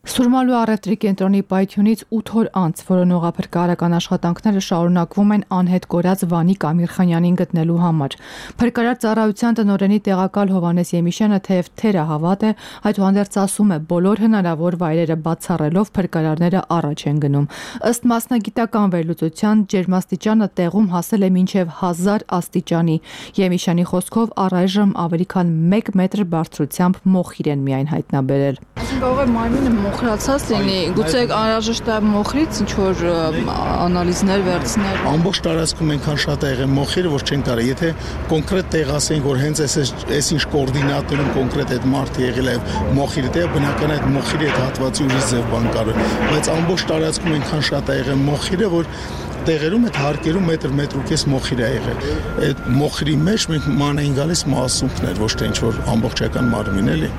Սուրմալու առևտրի կենտրոնի պայթյունից ութ օր անց որոնողափրկարարական աշխատանքները շարունակվում են անհետ կորած Վանիկ Ամիրխանյանին գտնելու համար։ Փրկարար ծառայության տնօրենի տեղակալ Հովհաննես Եմիշյանը թեև թերը հավատ է, այդուհանդերձ ասում է, բոլոր հնարավոր վայրերը բացառելով փրկարարները առաջ են գնում։ Ըստ մասնագիտական վերլուծության ջերմաստիճանը տեղում հասել է մինչև հազար աստիճանի։ Եմիշյանի խոսքով առայժմ ավելի քան մեկ մետր բարձրությամբ մոխիր են միայն հայտնաբերել։ Կարող է մարմինը մոխրացած լինի, գուցե անհրաժեշտ է մոխրից ինչ որ անալիզներ վերցնել։ Ամբողջ տարածքում այնքան շատ է եղել մոխիրը, որ չեն կարող, եթե կոնկրետ տեղ ասենք, որ հենց այս այս ինչ կոորդինատներում կոնկրետ այդ մարդը եղել է մոխիրը, դե բնական է այդ մոխիրի այդ հատվածի ուրիշ ձև բան կարող, բայց ամբողջ տարածքում այնքան շատ է եղել մոխիրը, որ տեղերում այդ հարկերում մետր մետր ու կես մոխիր է եղել։ Այդ մոխիրի մեջ մենք ման էին գալիս մասունքներ, ոչ թե ինչ որ ամբողջական մարմին էլի։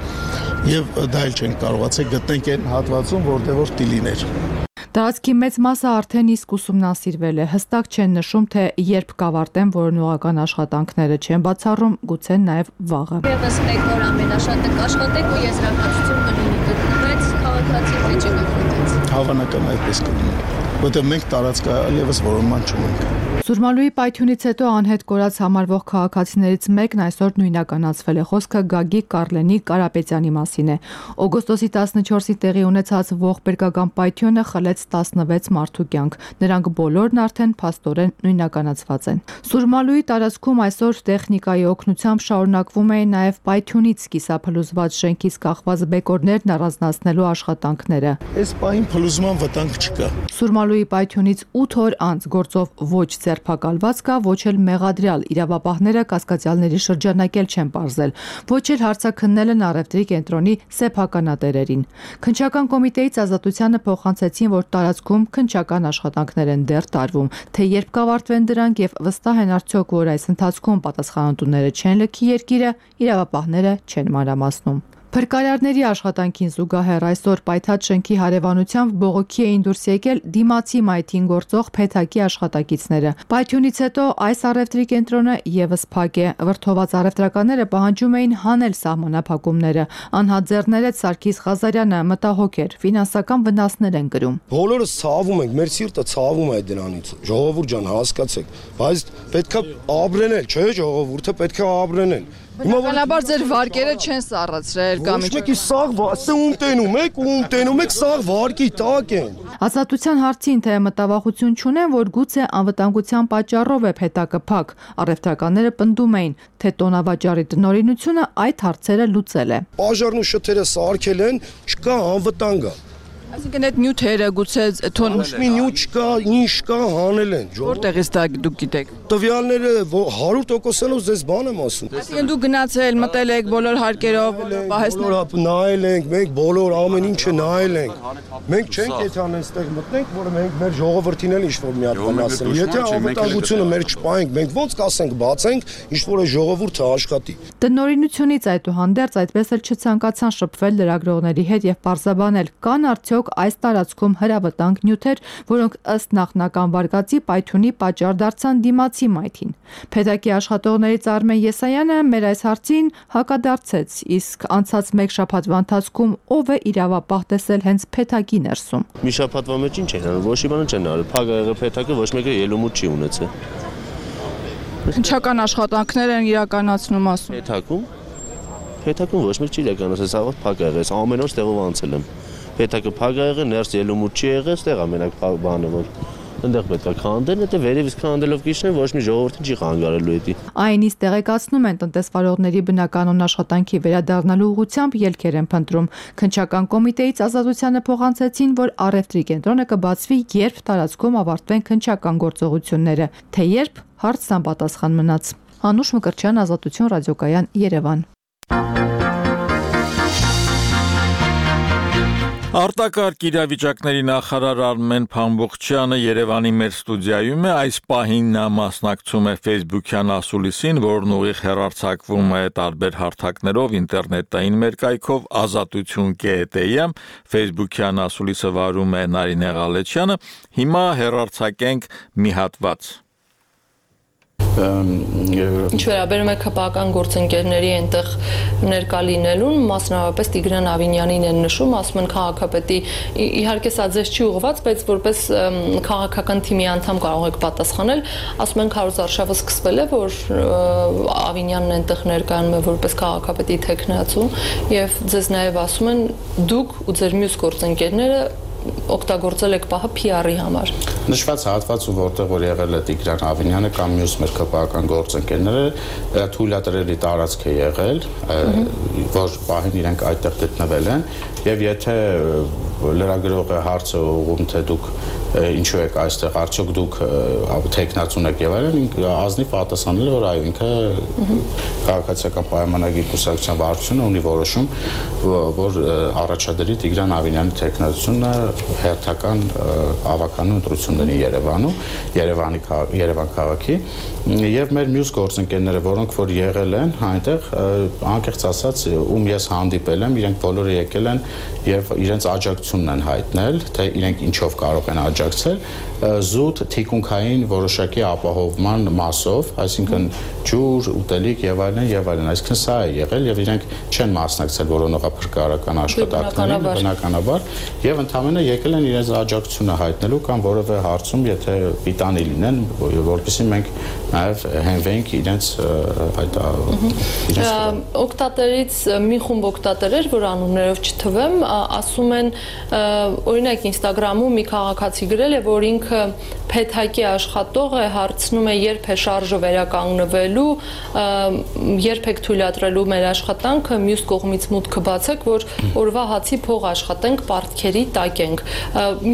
Եվ դա էլ չենք կարողացել գտնենք այն հատվածում, որտեղ որ տիլիներ։ Տարածքի մեծ մասը արդեն իսկ ուսումնասիրվել է, հստակ չեն նշում, թե երբ կավարտեն որոնողական աշխատանքները, չեն բացառում գուցե նաև վաղը։ Եվս մեկ օր ամենաշատը կաշխատեք ու եզրակացություն կլինի գտնվել քաղաքացի վիճը կախվեց։ Հավանական այդպես կլինի, որտեղ մենք տարածքա եւս որոնման չունենք։ Սուրմալուի պայթյունից հետո անհետ կորած համարվող քաղաքացիներից մեկն այսօր նույնականացվել է։ Խոսքը Գագիկ Կարլենի Կարապետյանի մասին է։ Օգոստոսի տասնչորսի տեղի ունեցած ողբերգական պայթյունը խլեց տասնվեց մարդու կյանք։ Նրանք բոլորն արդեն փաստորեն նույնականացված են։ Սուրմալուի տարածքում այսօր տեխնիկայի օգնությամբ շարունակվում էին նաև պայթյունից կիսափլուզված շենքից կախված բեկորներն առանձնացնելու աշխատանքները։ Այս պահին փլուզման վտանգ չկա։ Սուրմալուի պայթյունից ութ օր անց գործով ոչ ձերբակալված կա, ոչ էլ մեղադրյալ իրավապահները կասկածյալների շրջանակել չեն պարզել, ոչ էլ հարցաքննել են առևտրի կենտրոնի սեփականատերերին։ Քննչական կոմիտեից Ազատությանը փոխանցեցին, որ տարածքում քննչական աշխատանքներ են դեռ տարվում, թե երբ կավարտվեն դրանք եւ վստահ են արդյոք, որ այս ընթացքում պատասխանատուները չեն լքի երկիրը, իրավապահները չեն մանրամասնում։ Փրկարարների աշխատանքին զուգահեռ այսօր պայթած շենքի հարևանությամբ բողոքի էին դուրս եկել դիմացի մայթին գործող Փեթակի աշխատակիցները։ Պայթյունից հետո այս առևտրի կենտրոնը եւս փակ է։ Վրդոված առևտրականները պահանջում էին հանել սահմանափակումները։ Անհատ ձեռներեց Սարգիս Ղազարյանը մտահոգ էր, ֆինանսական վնասներ են կրում։ Բոլորս ցավում ենք, մեր սիրտը ցավում է դրանից։ Ժողովուրդ ջան, հասկացեք, բայց պետքա ապրենել, չէ՞, ժողովուրդը պետքա ապրենել։ Բնականաբար ձեր վարկերը չեն սառացրել կամ ինչ։ Ոչ մեկի սաղ ում տենում եք, ում տենում եք սաղ վարկի տակ են։ Ազատության հարցին թե մտավախություն չունեն, որ գուցե անվտանգության պատճառով է Փեթակը փակ։ Առևտրականները պնդում էին, թե տոնավաճառի տնօրինությունը այդ հարցերը լուծել է։ Պաժարն ու շթերը սարքել են, չկա անվտանգ է։ Այսինքն այդ նյութերը գուցե թոն մի նյութ չկա, ինչ կա հանել են։ Որտեղից դա դուք գիտեք։ Տվյալները հարյուր տոկոսով ձեզ բան եմ ասում։ Այսինքն դուք գնացել, մտել եք բոլոր հարկերով, պահեսներ նայել ենք, մենք բոլոր ամեն ինչը նայել ենք։ Մենք չենք եթան այստեղ մտնենք, որ մենք մեր ժողովրդին էլ ինչ-որ մի հատ բան ասենք։ Եթե անվտանգությունը մեր չպահենք, մենք ո՞նց կասենք, բացենք, ինչ-որ է ժողովուրդը աշխատի։ Տնօրինությունից այդուհանդերձ այդպես էլ չցանկացան շփվել լրագրողների հետ եւ պարզաբանել, կան արդյոք այս տարածքում հրավտանգ նյութեր, որոնք ըստ նախնական վարկածի պայթյունի պատճառ դարձան դիմացի մայթին։ Փեթակի աշխատողներից Արմեն Եսայանը մեր այս հարցին հակադարձեց, իսկ անցած մեկ շաբաթվա ընթացքում ով է իրավապահ տեսել հենց Փեթակի ներսում։ Մի շաբաթվա մեջ ինչ են արել, ոչ մի բան չեն արել, փակ եղել Փեթակը, ոչ մեկը ելումուտ չի ունեցել։ Քննչական աշխատանքներ են իրականացնում ասում։ Փեթակում Փեթակում ոչ մեկ չի իրականացել, սա փակ եղել, ամեն օր ստեղով անցել եմ։ Փեթակը փակ եղել, ներս ելումուտ չի եղել, ստեղ ամենակ բանը որ այնտեղ պետք է քանդեն, եթե վերևից քանդելով կիչնեն, ոչ մի ժողովրդին չի խանգարելու էդի։ Այնից տեղեկացնում են տնտեսվարողների բնականոն աշխատանքի վերադառնալու ուղղությամբ ելքեր են փնտրում։ Քննչական կոմիտեից Ազատությանը փոխանցեցին, որ առևտրի կենտրոնը կբացվի, երբ տարածքում ավարտվեն քննչական գործողությունները, թե երբ հարցն անպատասխան մնաց։ Անուշ Մկրտչյան, Ազատություն ռադիոկայան, Երևան։ Արտակարգ իրավիճակների նախարար Արմեն Փամբուխչյանը Երևանի մեր ստուդիայում է, այս պահին նա մասնակցում է Facebook-յան ասուլիսին, որն ուղիղ հեռարձակվում է տարբեր հարթակներով, ինտերնետային մերկայքով ազատություն.am, Facebook-յան ասուլիսը վարում է Նարինե Ղալեչյանը, հիմա հեռարձակենք մի հատված։ Ինչ վերաբերում է քպական գործընկերների այնտեղ ներկա լինելուն, մասնավորապես Տիգրան Ավինյանին են նշում, ասում են քաղաքապետի, իհարկե սա ձեզ չի ուղղված, բայց որպես քաղաքական թիմի անդամ կարող եք պատասխանել, ասում են հարյուր արշավը սկսվել է, որ Ավինյանն այնտեղ ներկայանում է որպես քաղաքապետի թեկնածու, եւ ձեզ նաեւ ասում են դուք ու ձեր մյուս գործընկերները օգտագործել եք պահը P R-ի համար։ Նշված հատվածում, որտեղ որ եղել է Տիգրան Ավինյանը կամ մյուս մեր քպական գործընկերները, թույլատրելի տարածք է եղել, որ պահին իրենք այդտեղ գտնվել են, եւ եթե լրագրողը հարցը ուղղում, թե դուք ինչու եք այստեղ, արդյոք դուք թեկնածուն եք եւ այլն, ազնիվ պատասխանել, որ այո, ինքը քաղաքացիական պայմանագիր կուսակցության վարչությունը ունի որոշում, որ առաջադրի Տիգրան Ավինյանի թեկնածությունը հերթական ավականու ընտրությունների Երևանում, Երևանի Երևան քաղաքի, եւ մեր մյուս գործընկերները, որոնք որ եղել են այնտեղ, անկեղծ ասած, ում ես հանդիպել եմ, իրենք բոլորը եկել են եւ իրենց աջակցությունն են հայտնել, թե իրենք ինչով կարող են աջակցել, զուտ թիկունքային որոշակի ապահովման մասով, այսինքն ջուր, ուտելիք եւ այլն եւ այլն, այսինքն սա է եղել եւ իրենք չեն մասնակցել որոնողափրկարարական աշխատանքներին բնականաբար եւ ընդհանրապես եկել են իրենց աջակցությունը հայտնելու կամ որևէ հարցում, եթե պիտանի լինեն, որովհետեւ մենք նաեւ հենվենք իրենց այդ օկտատերից մի խումբ օկտատերեր, որ անուններով չթվեմ, ասում են օրինակ Instagram-ում մի քաղաքացի գրել է, որ ինքը փեթակի աշխատող է, հարցնում է երբ է շարժը վերականգնվելու, երբ եք թույլատրելու մեր աշխատանքը, մյուս կողմից մուտքը բացեք, որ օրվա հացի փող աշխատենք, պարտքերի տակենք։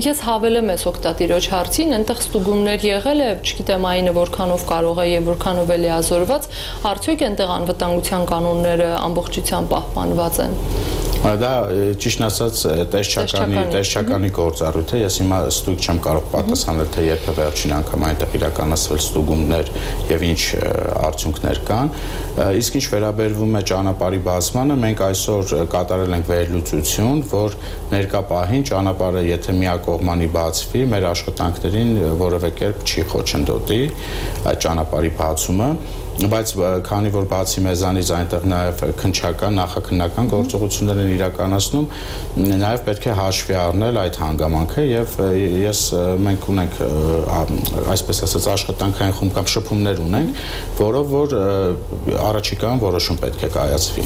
Ես հավելեմ ես օկտատիրոջ հարցին, այնտեղ ստուգումներ եղել է, չգիտեմ այնը որքանով կարող է եւ որքանով է լիազորված, արդյոք այնտեղ անվտանգության կանոնները ամբողջությամբ պահպանված են։ Դա ճիշտ ասած տեսչականի տեսչականի գործառույթ է, ես հիմա ստույգ չեմ կարող պատասխանել, թե երբ է վերջին անգամ այնտեղ իրականացվել ստուգումներ եւ ինչ արդյունքներ կան, իսկ ինչ վերաբերվում է ճանապարհի բացմանը, մենք այսօր կատարել ենք վերլուծություն, որ ներկա պահին ճանապարհը եթե միակողմանի բացվի, մեր աշխատանքներին որևէ կերպ չի խոչընդոտի այդ ճանապարհի բացումը, բայց քանի որ բացի մեզանից այնտեղ նաև քննչական, նախաքննական գործողություններ են իրականացնում, նաև պետք է հաշվի առնել այդ հանգամանքը եւ ես մենք ունենք այսպես ասած աշխատանքային խումբ կամ շփումներ ունենք, որով որ առաջիկայում որոշում պետք է կայացվի։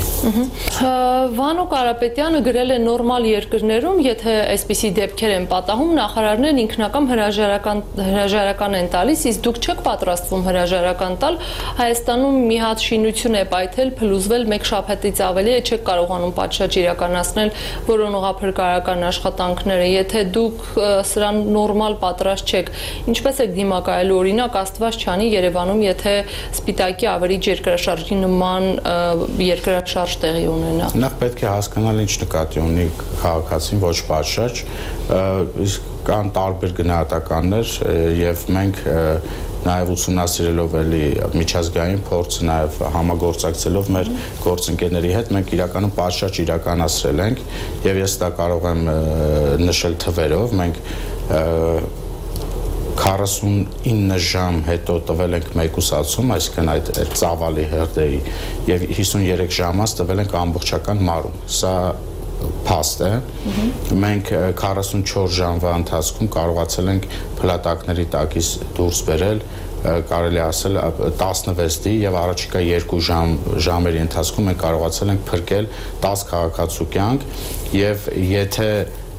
Վանո Կարապետյանը գրել է նորմալ երկրներում, եթե այսպիսի դեպքեր են պատահում, նախարարներն ինքնակամ հրաժարական հրաժարական են տալիս, իսկ դուք չեք պատրաստվում հրաժարական տալ, Հայաստանում մի հատ շինություն է պայթել, փլուզվել մեկ շաբաթից ավելի է, չեք կարողանում պատշաճ իրականացնել որոնողափրկարարական աշխատանքները, եթե դուք սրան նորմալ պատրաստ չեք, ինչպես եք դիմակայելու, օրինակ Աստված չանի Երևանում, եթե Սպիտակի ավերիչ երկրաշարժի նման երկրաշարժ տեղի ունենա։ Նախ պետք է հասկանալ ինչ նկատի ունի քաղաքացին, ոչ պատշաճ, իսկ կան տարբեր գնահատականներ եւ մենք նաև ուսումնասիրելով էլի միջազգային փորձ, նաև համագործակցելով մեր գործընկերների հետ մենք իրականում պատշաճ իրականացրել ենք եւ ես դա կարող եմ նշել թվերով, մենք քառասունինը ժամ հետո տվել ենք մեկուսացում, այսինքն այդ ծավալի հրդեհի եւ հիսունյուրեք ժամանց տվել ենք ամբողջական մարում։ Սա փաստ է։ Մենք քառասունչորս ժամվա ընթացքում կարողացել ենք փլատակների տակից դուրս բերել, կարելի ասել տասնվեց եւ առաջիկա երկու ժամ ժամերի ընթացքում մենք կարողացել ենք փրկել տասը քաղաքացու կյանք եւ եթե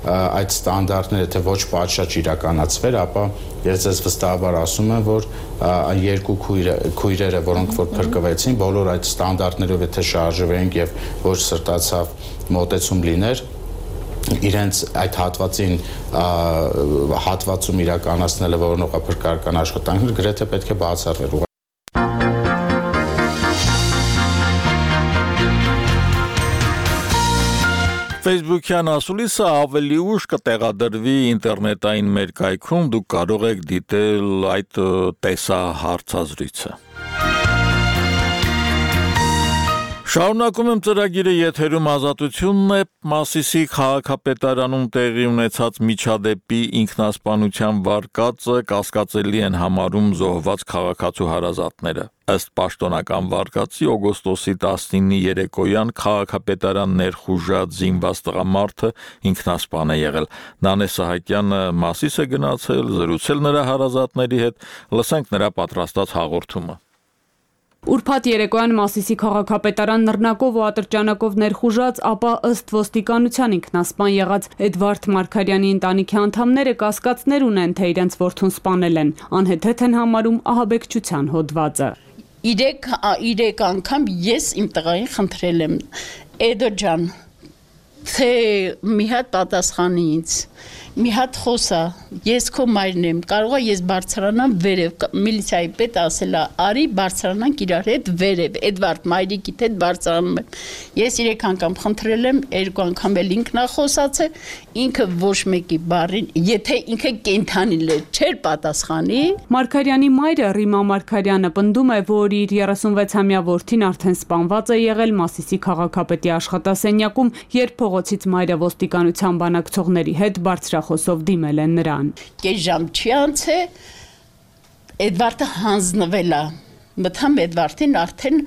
այդ ստանդարտները եթե ոչ պատշաճ իրականացվեր, ապա ես ձեզ վստահաբար ասում եմ, որ երկու քույրերը, որոնք որ փրկվեցին, բոլոր այդ ստանդարտներով եթե շարժվեինք եւ ոչ սրտացավ մոտեցում լիներ, իրենց այդ հատվածին հատվածում իրականացնելը որոնողափրկարարական աշխատանքներ գրեթե պետք է բացառվեր։ Facebook-յան ասուլիսը ավելի ուշ կտեղադրվի ինտերնետային մեր կայքում, դուք կարող եք դիտել այդ տեսահարցազրույցը։ Շարունակում եմ ծրագիրը եթերում ազատությունն է, Մասիսի քաղաքապետարանում տեղի ունեցած միջադեպի ինքնասպանության վարկածը կասկածելի են համարում զոհված քաղաքացու հարազատները։ Ըստ պաշտոնական վարկածի օգոստոսի տասնինի երեկոյան քաղաքապետարան ներխուժած զինված տղամարդը ինքնասպան է եղել։ Նանե Սահակյանը Մասիս է գնացել, զրուցել նրա հարազատների հետ, լսենք նրա պատրաստած հաղորդումը։ Ուրբաթ երեկոյան Մասիսի քաղաքապետարան նռնակով ու ատրճանակով ներխուժած, ապա ըստ ոստիկանության ինքնասպան եղած Էդվարդ Մարգարյանի ընտանիքի անդամները կասկածներ ունեն, թե իրենց որդուն սպանել են, անհեթեթ են համարում ահաբեկչության հոդվածը։ Իրեք իրեք անգամ ես իմ տղային խնդրել եմ, Էդո ջան, թե մի հատ պատասխանի ինձ, մի հատ խոսա, ես քո մայրն եմ, կարող է ես բարձրանամ վերև, միլիցիայի պետ ասել է, արի բարձրանանք իրար հետ վերև, Էդվարդ մայրիկիդ հետ բարձրանում եմ։ Ես երեք անգամ խնդրել եմ, երկու անգամ էլ ինքն է խոսացել, ինքը ոչ մեկի բառին, եթե ինքը կենդանի լեր չէր պատասխանի։ Մարգարյանի մայրը Ռիմա Մարգարյանը պնդում է, որ իր երեսունվեցամյա որդին արդեն սպանված է եղել Մասիսի քաղաքապետի աշխատասենյակում, երբ փողոցից մայրը ոստիկանության բանակցողների հետ բարձրախոսով դիմել են նրան։ Կես ժամ չի անց է, Էդվարդը հանձնվել է, մտամ Էդվարդին արդեն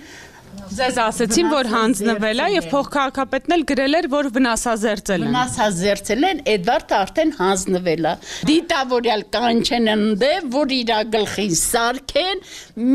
Ձեզ ասեցին, որ հանձնվել է եւ փոխքաղաքապետն էլ գրել էր, որ վնասազերծել են։ Վնասազերծել են, Էդվարդը արդեն հանձնվել է։ Դիտավորյալ կանչեն ընդե, որ իր գլխին սարքեն,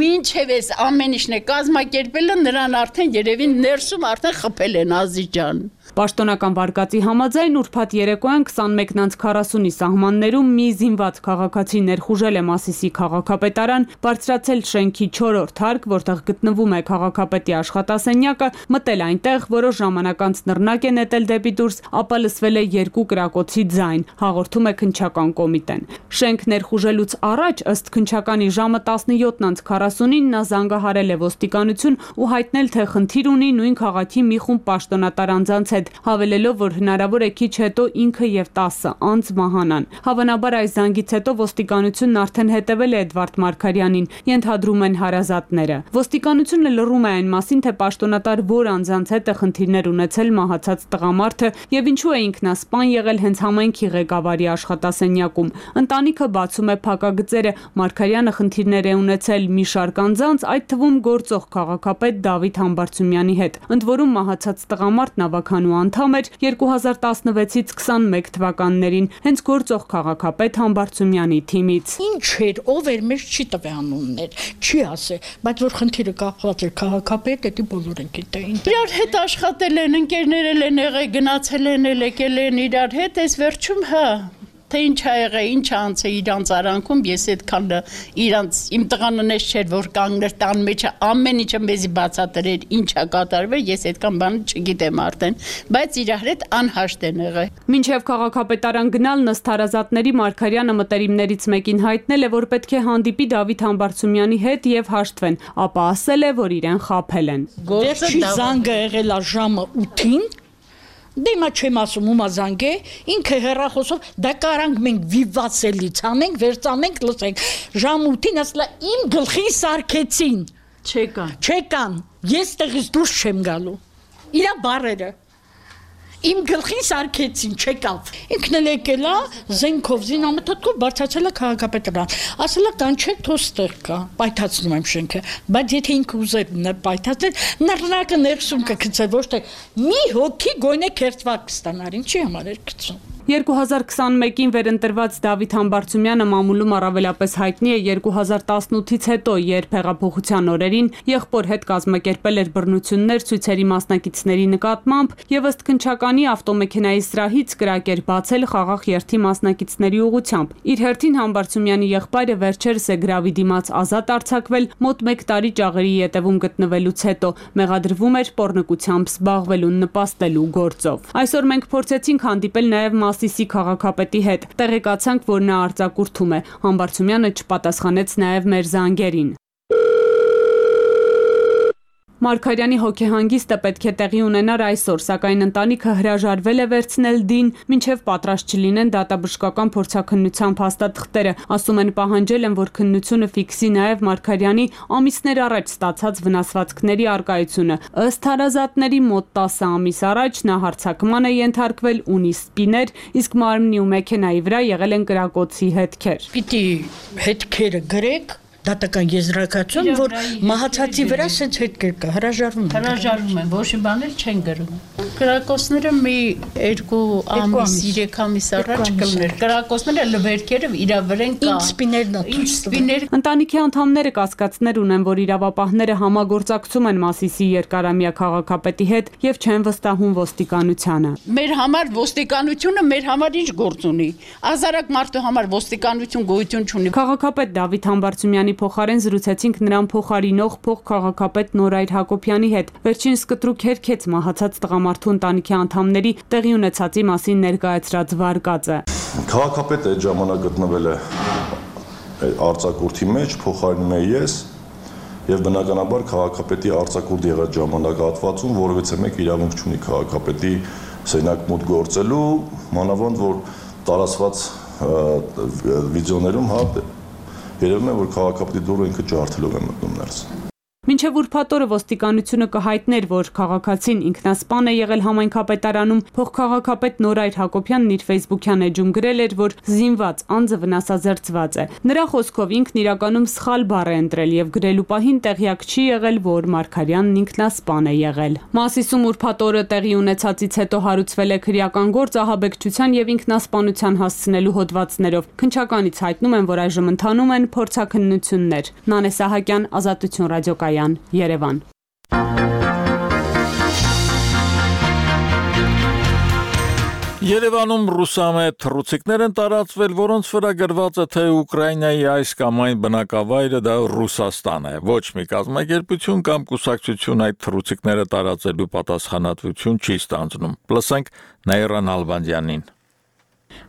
մինչև էս ամեն ինչն է կազմակերպելը, նրան արդեն երևին ներսում արդեն խփել են Ազիջան։ Պաշտոնական վարկածի համաձայն ուրբաթ երեկոյան քսանմեկ քառասունի սահմաններում մի զինված քաղաքացի ներխուժել է Մասիսի քաղաքապետարան, բարձրացել շենքի չորրորդ հարկ, որտեղ գտնվում է քաղաքապետի աշխատասենյակը, մտել այնտեղ, որոշ ժամանակ անց նռնակ է նետել դեպի դուրս, ապա լսվել է երկու կրակոցի ձայն, հաղորդում է քննչական կոմիտեն։ Շենք ներխուժելուց առաջ, ըստ քննչականի ժամը տասնյոթ քառասունին նա զանգահարել է ոստիկանություն ու հայտնել, թե խնդիր ունի նույն քաղաքի մի խումբ պաշտոնատար անձանց հետ, հավելելով, որ հնարավոր է քիչ հետո ինքը եւ տասը անձ մահանան։ Հավանաբար այս զանգից հետո ոստիկանությունն արդեն հետևել է Էդվարդ Մարգարյանին, ենթադրում են հարազատները։ Ոստիկանությունը լռում է այն մասին, թե պաշտոնատար որ անձանց հետ է խնդիրներ ունեցել մահացած տղամարդը եւ ինչու է ինքնասպան եղել հենց համայնքի ղեկավարի աշխատասենյակում։ Ընտանիքը բացում է փակագծերը, Մարգարյանը խնդիրներ է ունեցել մի շարք անձանց, այդ թվում գործող քաղաքապետ Դավիթ Համբարձումյանի հետ։ Ընդ որում մահացած տղամարդն ավականու անդամ էր երկու հազար տասնվեցից քսանմեկ թվականներին, հենց գործող քաղաքապետ Համբարձումյանի թիմից։ Ինչ էր, ով էր, մեզ չի տվե անուններ, չի ասե, բայց որ խնդիրը կապված էր քաղաքապետ, դա բոլորը գիտեին։ Իրար հետ աշխատել են, ընկերներ են եղել, գնացել են, եկել են իրար հետ, այս վերջում հա թե ինչ ա եղել, ինչ անց է իրանց արանքում, ես այդքան իրանց իմ տղան նես չէր, որ կանգներ տան մեջը ամեն ինչը մեզի բացատրեր, ինչ ա կատարվել, ես այդքան բան չգիտեմ արդեն, բայց իրար հետ անհաշտ են եղել։ Մինչև քաղաքապետարան գնալ ըստ հարազատների Մարգարյանը մտերիմներից մեկին հայտնել է, որ պետք է հանդիպի Դավիթ Համբարձումյանի հետ եւ հաշտվեն, ապա ասել է, որ իրեն խաբել են։ Գործի զանգը եղել է ժամը ութին, դե հիմա չեմ ասում ումա զանգ է, ինքը հեռախոսով դա կարանք մենք վիվասելից անենք, վերցանենք, լսենք։ Ժամ ութին ասලා իմ գլխին սարքեցին։ Չեկան։ Չեկան։ Ես տեղից դուրս չեմ գալու։ Իրա բառերը Իմ գլխին սարքեցին, չեկավ։ Ինքն էլ եկել է, զենքով, զինամթոթքով բարձրացել է քաղաքապետարան։ Ասել է կանչեք, թող ստեղ կա, պայթացնում եմ շենքը։ Բայց եթե ինքը ուզեր պայթացնել, նռնակը ներսում կգցեր, ոչ թե մի հոգի գույնե քերծված կստանար, ինչի համար էր գցում։ երկու հազար քսանմեկին վերընտրված Դավիթ Համբարձումյանը մամուլում առավելապես հայտնի է երկու հազար տասնութից հետո, երբ հեղափոխության օրերին եղբոր հետ կազմակերպել էր բռնություններ ցույցերի մասնակիցների նկատմամբ եւ ըստ քննչականի ավտոմեքենայի սրահից կրակ էր բացել խաղաղ երթի մասնակիցների ուղղությամբ։ Իր հերթին Համբարձումյանի եղբայրը վերջերս է գրավի դիմաց ազատ արձակվել մոտ մեկ տարի ճաղերի ետևում գտնվելուց հետո, մեղադրվում էր պոռնկությամբ զբաղվելուն նպաստելու գործով։ Այսօր մենք փորձեցինք հանդիպել նաեւ Մասիսի քաղաքապետի հետ, տեղեկացանք, որ նա արձակուրդում է։ Համբարձումյանը չպատասխանեց նաև մեր զանգերին։ Մարգարյանի հոգեհանգիստը պետք է տեղի ունենար այսօր, սակայն ընտանիքը հրաժարվել է վերցնել դին, մինչև պատրաստ չլինեն դատաբժշկական փորձաքննության փաստաթղթերը, ասում են պահանջել են, որ քննությունը ֆիքսի նաև Մարգարյանի ամիսներ առաջ ստացած վնասվածքների առկայությունը։ Ըստ հարազատների մոտ տասը ամիս առաջ նա հարձակման է ենթարկվել, ունի սպիներ, իսկ մարմնի ու մեքենայի վրա եղել են կրակոցի հետքեր։ Պիտի հետքերը գրեք դատական եզրակացություն, որ մահացածի վրա սենց հետքեր կա, հրաժարվում են։ Հրաժարվում են, ոչ մի բան էլ չեն գրում։ Կրակոցները մի երկու ամիս, երեք ամիս առաջ կլներ։ Կրակոցները լվերքերը իրա վրեն կա։ Ինչ սպիներն է։ Ինչ սպիներ։ Ընտանիքի անդամները կասկածներ ունեն, որ իրավապահները համագործակցում են Մասիսի երկարամյա քաղաքապետի հետ եւ չեն վստահում ոստիկանությանը։ Մեր համար ոստիկանությունը մեր համար ինչ գործ ունի։ Ազարակ մարդու համար ոստիկանություն գոյություն չունի։ Քաղաքապետ Դավիթ Համբարձումյանի փոխարեն զրուցեցինք նրան փոխարինող փոխքաղաքապետ Նորայր Հակոբյանի հետ։ Վերջինս կտրուկ հերքեց մահացած տղամարդու ընտանիքի անդամների տեղի ունեցածի մասին ներկայացրած վարկածը։ Քաղաքապետը այդ ժամանակ գտնվել է արձակուրդի մեջ, փոխարինում եմ ես, եւ բնականաբար քաղաքապետի արձակուրդ եղած ժամանակահատվածում որևէ մեկ իրավունք չունի քաղաքապետի սենյակ մուտք գործելու, մանավանդ որ տարածված վիդեոներում հա երևում է, որ քաղաքապետի դուռը ինքը ջարդելով է մտնում ներս։ Մինչև ուրբաթ օրը ոստիկանությունը կհայտներ, որ քաղաքացին ինքնասպան է եղել համայնքապետարանում, փոխքաղաքապետ Նորայր Հակոբյանն իր Facebook-յան էջում գրել էր, որ զինված անձը վնասազերծված է։ Նրա խոսքով ինքն իրականում սխալ բառ է ընտրել եւ գրելու պահին տեղյակ չի եղել, որ Մարգարյանն ինքնասպան է եղել։ Մասիսում ուրբաթ օրը տեղի ունեցածից հետո հարուցվել է քրեական գործ ահաբեկչության եւ ինքնասպանության հասցնելու հոդվածներով։ Քննչականից հայտնում են, որ այժմ ընթանում են փորձաքննություններ։ Նանե Սահակյան, Ազատություն ռադիոկայան, Երևան։ Երևանում ռուսամետ թռուցիկներ են տարածվել, որոնց վրա գրված է, թե Ուկրաինայի այս կամ այն բնակավայրը դա Ռուսաստան է։ Ոչ մի կազմակերպություն կամ կուսակցություն այդ թռուցիկները տարածելու պատասխանատվություն չի ստանձնում։ Լսենք Նաիրա Նալբանդյանին։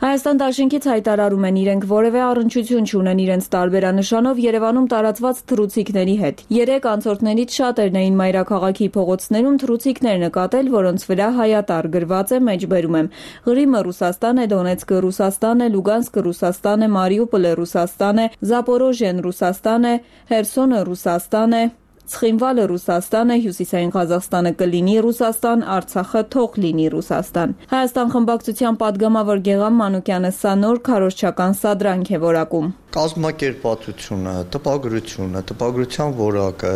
Հայաստան դաշինքից հայտարարում են, իրենք որևէ առնչություն չունեն իրենց տարբերանշանով Երևանում տարածված թռուցիկների հետ։ Երեք անցորդներից շատերն էին մայրաքաղաքի փողոցներում թռուցիկներ նկատել, որոնց վրա հայատառ գրված է, մեջբերում եմ. Ղրիմը Ռուսաստան է, Դոնեցկը Ռուսաստան է, Լուգանսկը Ռուսաստան է, Մարիուպոլը Ռուսաստան է, Զապորոժիեն Ռուսաստան է, Հերսոնը Ռուսաստան է, Ցխինվալը Ռուսաստան է, Հյուսիսային Ղազախստանը կլինի Ռուսաստան, Արցախը թող լինի Ռուսաստան։ Հայաստան խմբակցության падգամավոր Գեղամ Մանուկյանը սա նոր քարոզչական սադրանք է որակում։ Կազմակերպվածությունը, տպագրությունը, տպագրության որակը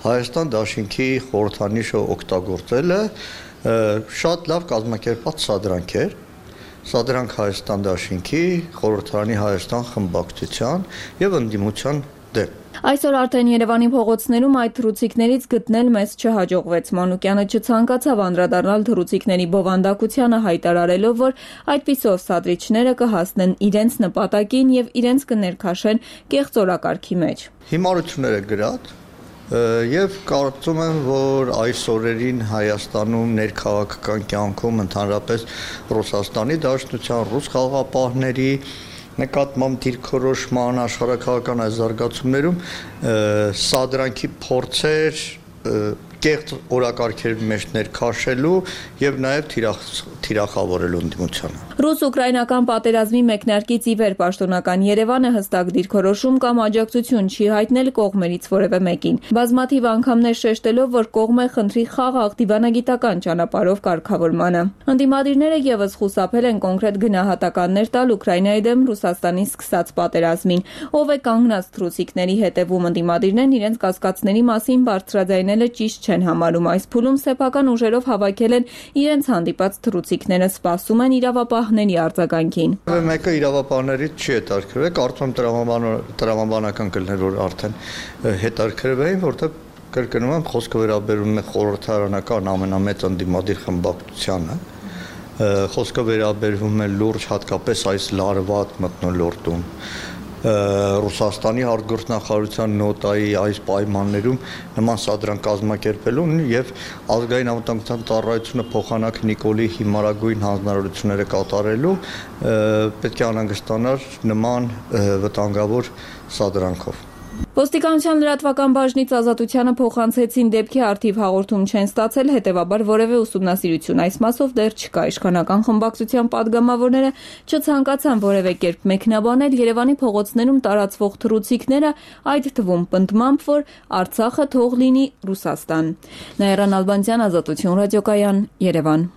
Հայաստան դաշինքի խորհրդանիշը օգտագործելը շատ լավ կազմակերպված սադրանք էր։ Սադրանք Հայաստան դաշինքի, խորհրդարանի Հայաստան խմբակցության եւ ընդդիմության դեմ։ Այսօր արդեն Երևանի փողոցներում այդ թռուցիկներից գտնել մեզ չհաջողվեց։ Մանուկյանը չցանկացավ անդրադառնալ թռուցիկների բովանդակությանը, հայտարարելով, որ այդպիսով սադրիչները կհասնեն իրենց նպատակին եւ իրենց կներքաշեն կեղծ օրակարգի մեջ։ Հիմարությունները գրած եւ կարծում եմ, որ այս օրերին Հայաստանում ներքաղաքական կյանքում ընդհանրապես Ռուսաստանի Դաշնության, ռուս խաղաղապահների նկատմամբ դիրքորոշման աշխարհակաղակական այս զարգացումներում սադրանքի փորձեր կեղծ օրակարգերի մեջ ներքաշելու եւ նաեւ թիրախավորելու ընդդիմությանը։ Ռուս-ուկրաինական պատերազմի մեկնարկից ի վեր պաշտոնական Երևանը հստակ դիրքորոշում կամ աջակցություն չի հայտնել կողմերից որևէ մեկին։ Բազմաթիվ անգամներ շեշտելով, որ կողմը խնդրի խաղաղ դիվանագիտական ճանապարհով կարգավորմանը։ Ընդդիմադիրները եւս խուսափել են կոնկրետ գնահատականներ տալ Ուկրաինայի դեմ Ռուսաստանի սկսած պատերազմին։ Ով է կանգնած թռուցիկների հետևում, ընդդիմադիրներն իրենց կասկածների մասին բարձրաձայնելը ճիշտ չեն համարում։ Այս փուլում սեփական ուժերով հավաքել են իրենց հանդիպած թռուցիկները, սպասում են իրավապահների արձագանքին։ Մեկը իրավապահներից չի հետաքրքրվել, կարծում եմ տրամաբանական կլներ, որ արդեն հետաքրքրվեին, որտեղ կրկնում եմ, խոսքը վերաբերում է խորհրդարանական ամենամեծ ընդդիմադիր խմբակցությանը, խոսքը վերաբերվում է լուրջ հատկապես այս լարված մթնոլորտում Ռուսաստանի արտգործնախարարության նոտայի այս պայմաններում նման սադրանք կազմակերպելուն եւ ազգային անվտանգության ծառայությունը փոխանակ Նիկոլի հիմարագույն հանձնարարությունները կատարելու պետք է անհանգստանար նման վտանգավոր սադրանքով։ Ոստիկանության լրատվական բաժնից Ազատությանը փոխանցեցին դեպքի արդիվ հաղորդում չեն ստացել, հետևաբար որևէ ուսումնասիրություն այս մասով դեռ չկա։ Իշխանական խմբակցության падգամավորները չցանկացան որևէ կերպ մեկնաբանել Երևանի փողոցներում տարածվող թռուցիկները, այդ թվում պնդմամբ, որ Արցախը թող լինի Ռուսաստան։ Նաիրա Նալբանդյան, Ազատություն ռադիոկայան, Երևան։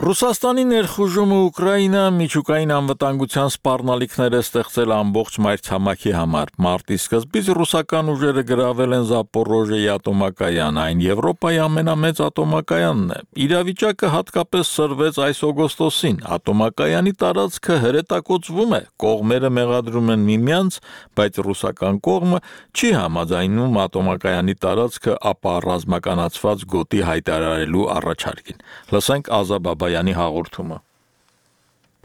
Ռուսաստանի ներխուժումը Ուկրաինա միջուկային անվտանգության սպառնալիքներ է ստեղծել ամբողջ մայրցամաքի համար։ Մարտի սկզբից ռուսական ուժերը գրավել են Զապորոժիեի ատոմակայան, այն Եվրոպայի ամենամեծ ատոմակայանն է։ Իրավիճակը հատկապես սրվեց այս օգոստոսին։ Ատոմակայանի տարածքը հրետակոծվում է, կողմերը մեղադրում են միմյանց, բայց ռուսական կողմը չի համաձայնում ատոմակայանի տարածքը ապա ռազմականացված գոտի հայտարարելու առաջարկին։ Լսենք Ազաբաբայանի հաղորդումը։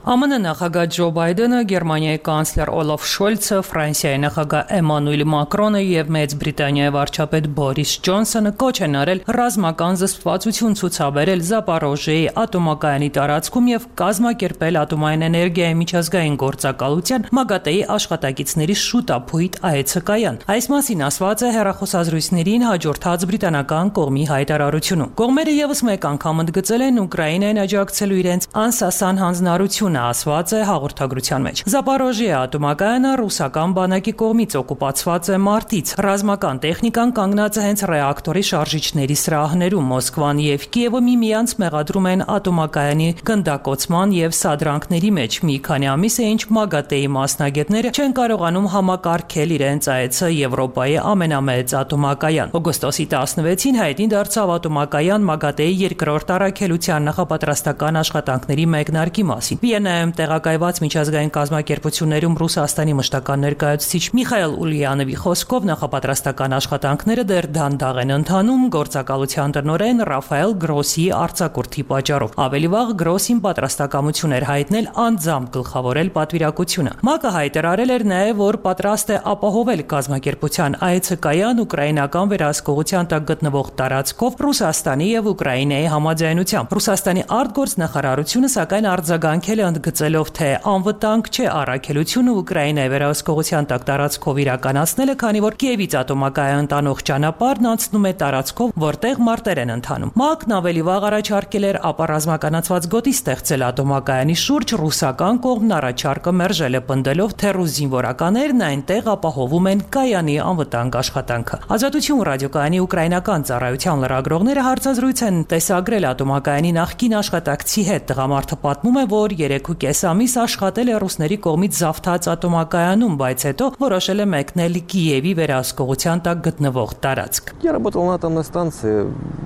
ԱՄՆ նախագահ Ջո Բայդենը, Գերմանիայի կանցլեր Օլաֆ Շոլցը, Ֆրանսիայի նախագահ Էմանուել Մակրոնը եւ Մեծ Բրիտանիայի վարչապետ Բորիս Ջոնսոնը կոչ են արել ռազմական զսպվածություն ցուցաբերել Զապորոժիեի ատոմակայանի տարածքում եւ կազմակերպել ատոմային էներգիայի միջազգային գործակալության ՄԱԳԱՏԷ-ի աշխատակիցների շուտ ապույտ այցկայան։ Այս մասին ասված է հեռախոսազրույցներին հաջորդած բրիտանական կողմի հայտարարությունում։ Կողմերը եւս մեկ անգամ ընդգծել են Ուկրաինային աջակցելու իրենց անսասան հանձնարարությունը Տոնը ասված է հաղորդագրության մեջ։ Զապարոժիա ատոմակայանը ռուսական բանակի կողմից օկուպացված է մարտից։ Ռազմական տեխնիկան կանգնած է հենց ռեակտորի շարժիչների սրահներում։ Մոսկվան եւ Կիևը միմյանց մեղադրում են ատոմակայանի գնդակոծման եւ սադրանքների մեջ։ Մի քանի ամիս է ինչ ՄԱԳԱՏԷ-ի մասնագետները չեն կարողանում համակարգել իրենց այցը Եվրոպայի ամենամեծ ատոմակայան։ Օգոստոսի տասնվեցին հայտնի դարձավ ատոմակայան ՄԱԳԱՏԷ-ի երկրորդ առաքելության նախապատրաստական աշխատանքների մեկնարկի մասին։ Վիեննայում տեղակայված միջազգային կազմակերպություններում Ռուսաստանի մշտական ներկայացուցիչ Միխայել Ուլյանովի խոսքով նախապատրաստական աշխատանքները դեռ դանդաղ են ընթանում գործակալության տնօրեն Ռաֆայել Գրոսի արձակուրդի պատճառով։ Ավելի վաղ Գրոսին պատրաստակամություն էր հայտնել անձամբ գլխավորել պատվիրակությունը։ ՄԱԿ-ը հայտարարել էր նաև, որ պատրաստ է ապահովել կազմակերպության այցը կայան ուկրաինական վերահսկողության տակ գտնվող տարածքով Ռուսաստանի եւ Ուկրաինայի համաձայնությամբ։ Ռուսաստանի արտգործնախարարությունը սակայն արձագանքել է ընդգծելով, թե անվտանգ չէ առաքելությունը Ուկրաինայի վերահսկողության տակ տարածքով իրականացնելը, քանի որ Կիևից ատոմակայան տանող ճանապարհն անցնում է տարածքով, որտեղ մարտեր են ընթանում։ ՄԱԿ-ն ավելի վաղ առաջարկել էր ապառազմականացված գոտի ստեղծել ատոմակայանի շուրջ, ռուսական կողմն առաջարկը մերժել է, պնդելով, թե ռուս զինվորականներն այնտեղ ապահովում են կայանի անվտանգ աշխատանքը։ Ազատություն ռադիոկայանի ուկրաինական ծառայության լրագրողները հարցազրույց են տեսագրել ատոմակայանի նախկին աշխատակցի հետ։ Տղամարդը պատմում է, որ երեքուկես ամիս աշխատել է ռուսների կողմից զավթած ատոմակայանում, բայց հետո որոշել է մեկնել Կիևի վերահսկողության տակ գտնվող տարածք։ Я работал на атомной станции,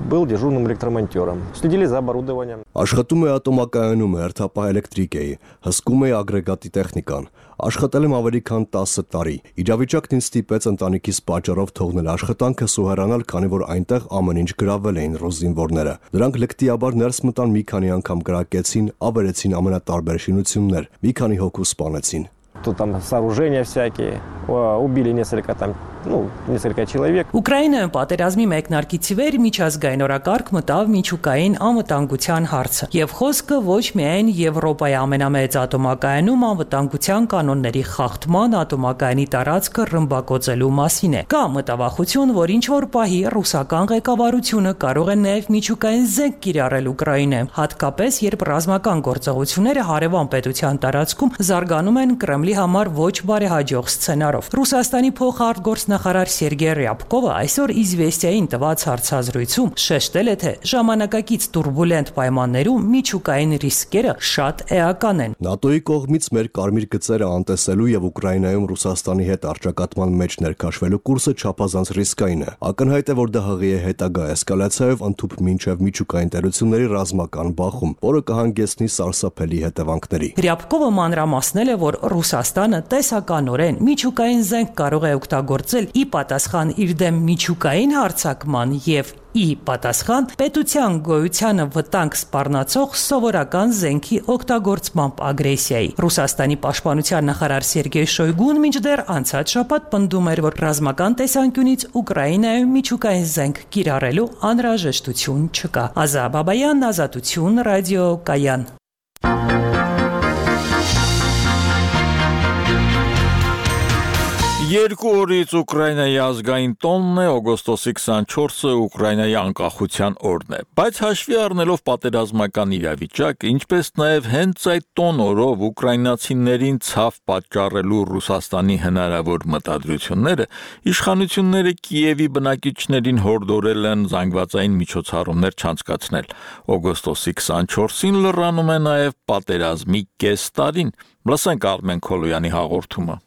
был дежурным электромонтёром. Следили за оборудованием. Աշխատում է ատոմակայանում, հերթապահ էլեկտրիկ էի, հսկում էի ագրեգատի տեխնիկան։ Աշխատել եմ ավելի քան տասը տարի։ Իրավիճակն ինձ ստիպեց ընտանիքիս պատճառով թողնել աշխատանքը, սուհերանալ, քանի որ այնտեղ ամեն ինչ գրավել էին ռուս զինվորները։ Նրանք լկտիաբար ներս մտան, մի քանի անգամ կրակեցին, ավերեցին ամենատարբեր շինություններ, մի քանի հոգու սպանեցին։ Тут там сооружения всякие, убили несколько там, ну, несколько человек. Ուկրաինայում պատերազմի մեկնարկից ի վեր միջազգային օրակարգ մտավ միջուկային անվտանգության հարցը, եւ խոսքը ոչ միայն Եվրոպայի ամենամեծ ատոմակայանում անվտանգության կանոնների խախտման, ատոմակայանի տարածքը ռմբակոծելու մասին է։ Կա մտավախություն, որ ինչ որ պահի ռուսական ղեկավարությունը կարող է նաեւ միջուկային զենք կիրառել Ուկրաինայում, հատկապես երբ ռազմական գործողությունները հարևան պետության տարածքում զարգանում են Կրեմլի համար ոչ բարեհաջող սցենարով։ Ռուսաստանի փոխարտգործնախարար Սերգեյ Ռյաբկովը այսօր Իզվեստիային տված հարցազրույցում շեշտել է, թե ժամանակակից турբուլենտ պայմաններում միջուկային ռիսկերը շատ էական են։ ՆԱՏՕ-ի կողմից մեր կարմիր գծերը անտեսելու եւ Ուկրաինայում Ռուսաստանի հետ առճակատման մեջ ներքաշվելու կուրսը չափազանց ռիսկային է։ Ակնհայտ է, որ դա հղի է հետագա էսկալացիայով ընդཐུպ մինչև միջուկային տերությունների ռազմական բախում, որը կհանգեցնի սարսափելի հետևանքների։ Ռյաբկովը մանրամասնել է, որ Ռուսաստանը տեսականորեն միջուկային զենք կարող է օգտագործել ի պատասխան իր դեմ միջուկային հարձակման եւ ի պատասխան պետության գոյությանը վտանգ սպառնացող սովորական զենքի օգտագործմամբ ագրեսիայի։ Ռուսաստանի պաշտպանության նախարար Սերգեյ Շոյգուն մինչդեռ անցած շաբաթ պնդում էր, որ ռազմական տեսանկյունից Ուկրաինայում միջուկային զենք կիրառելու անհրաժեշտություն չկա։ Ազա Բաբայան, Ազատություն, ռադիո Կայան։ Երկու օրից Ուկրաինայի ազգային տոնն է, օգոստոսի քսանչորսը Ուկրաինայի անկախության օրն է, բայց հաշվի առնելով պատերազմական իրավիճակը, ինչպես նաև հենց այդ տոն օրով ուկրաինացիներին ցավ պատճառելու Ռուսաստանի հնարավոր մտադրությունները, իշխանությունները Կիևի բնակիչներին հորդորել են զանգվածային միջոցառումներ չանցկացնել։ Օգոստոսի քսանչորսին լրանում է նաև պատերազմի կես տարին։ Լսենք Արմեն Քոլոյանի հաղորդումը։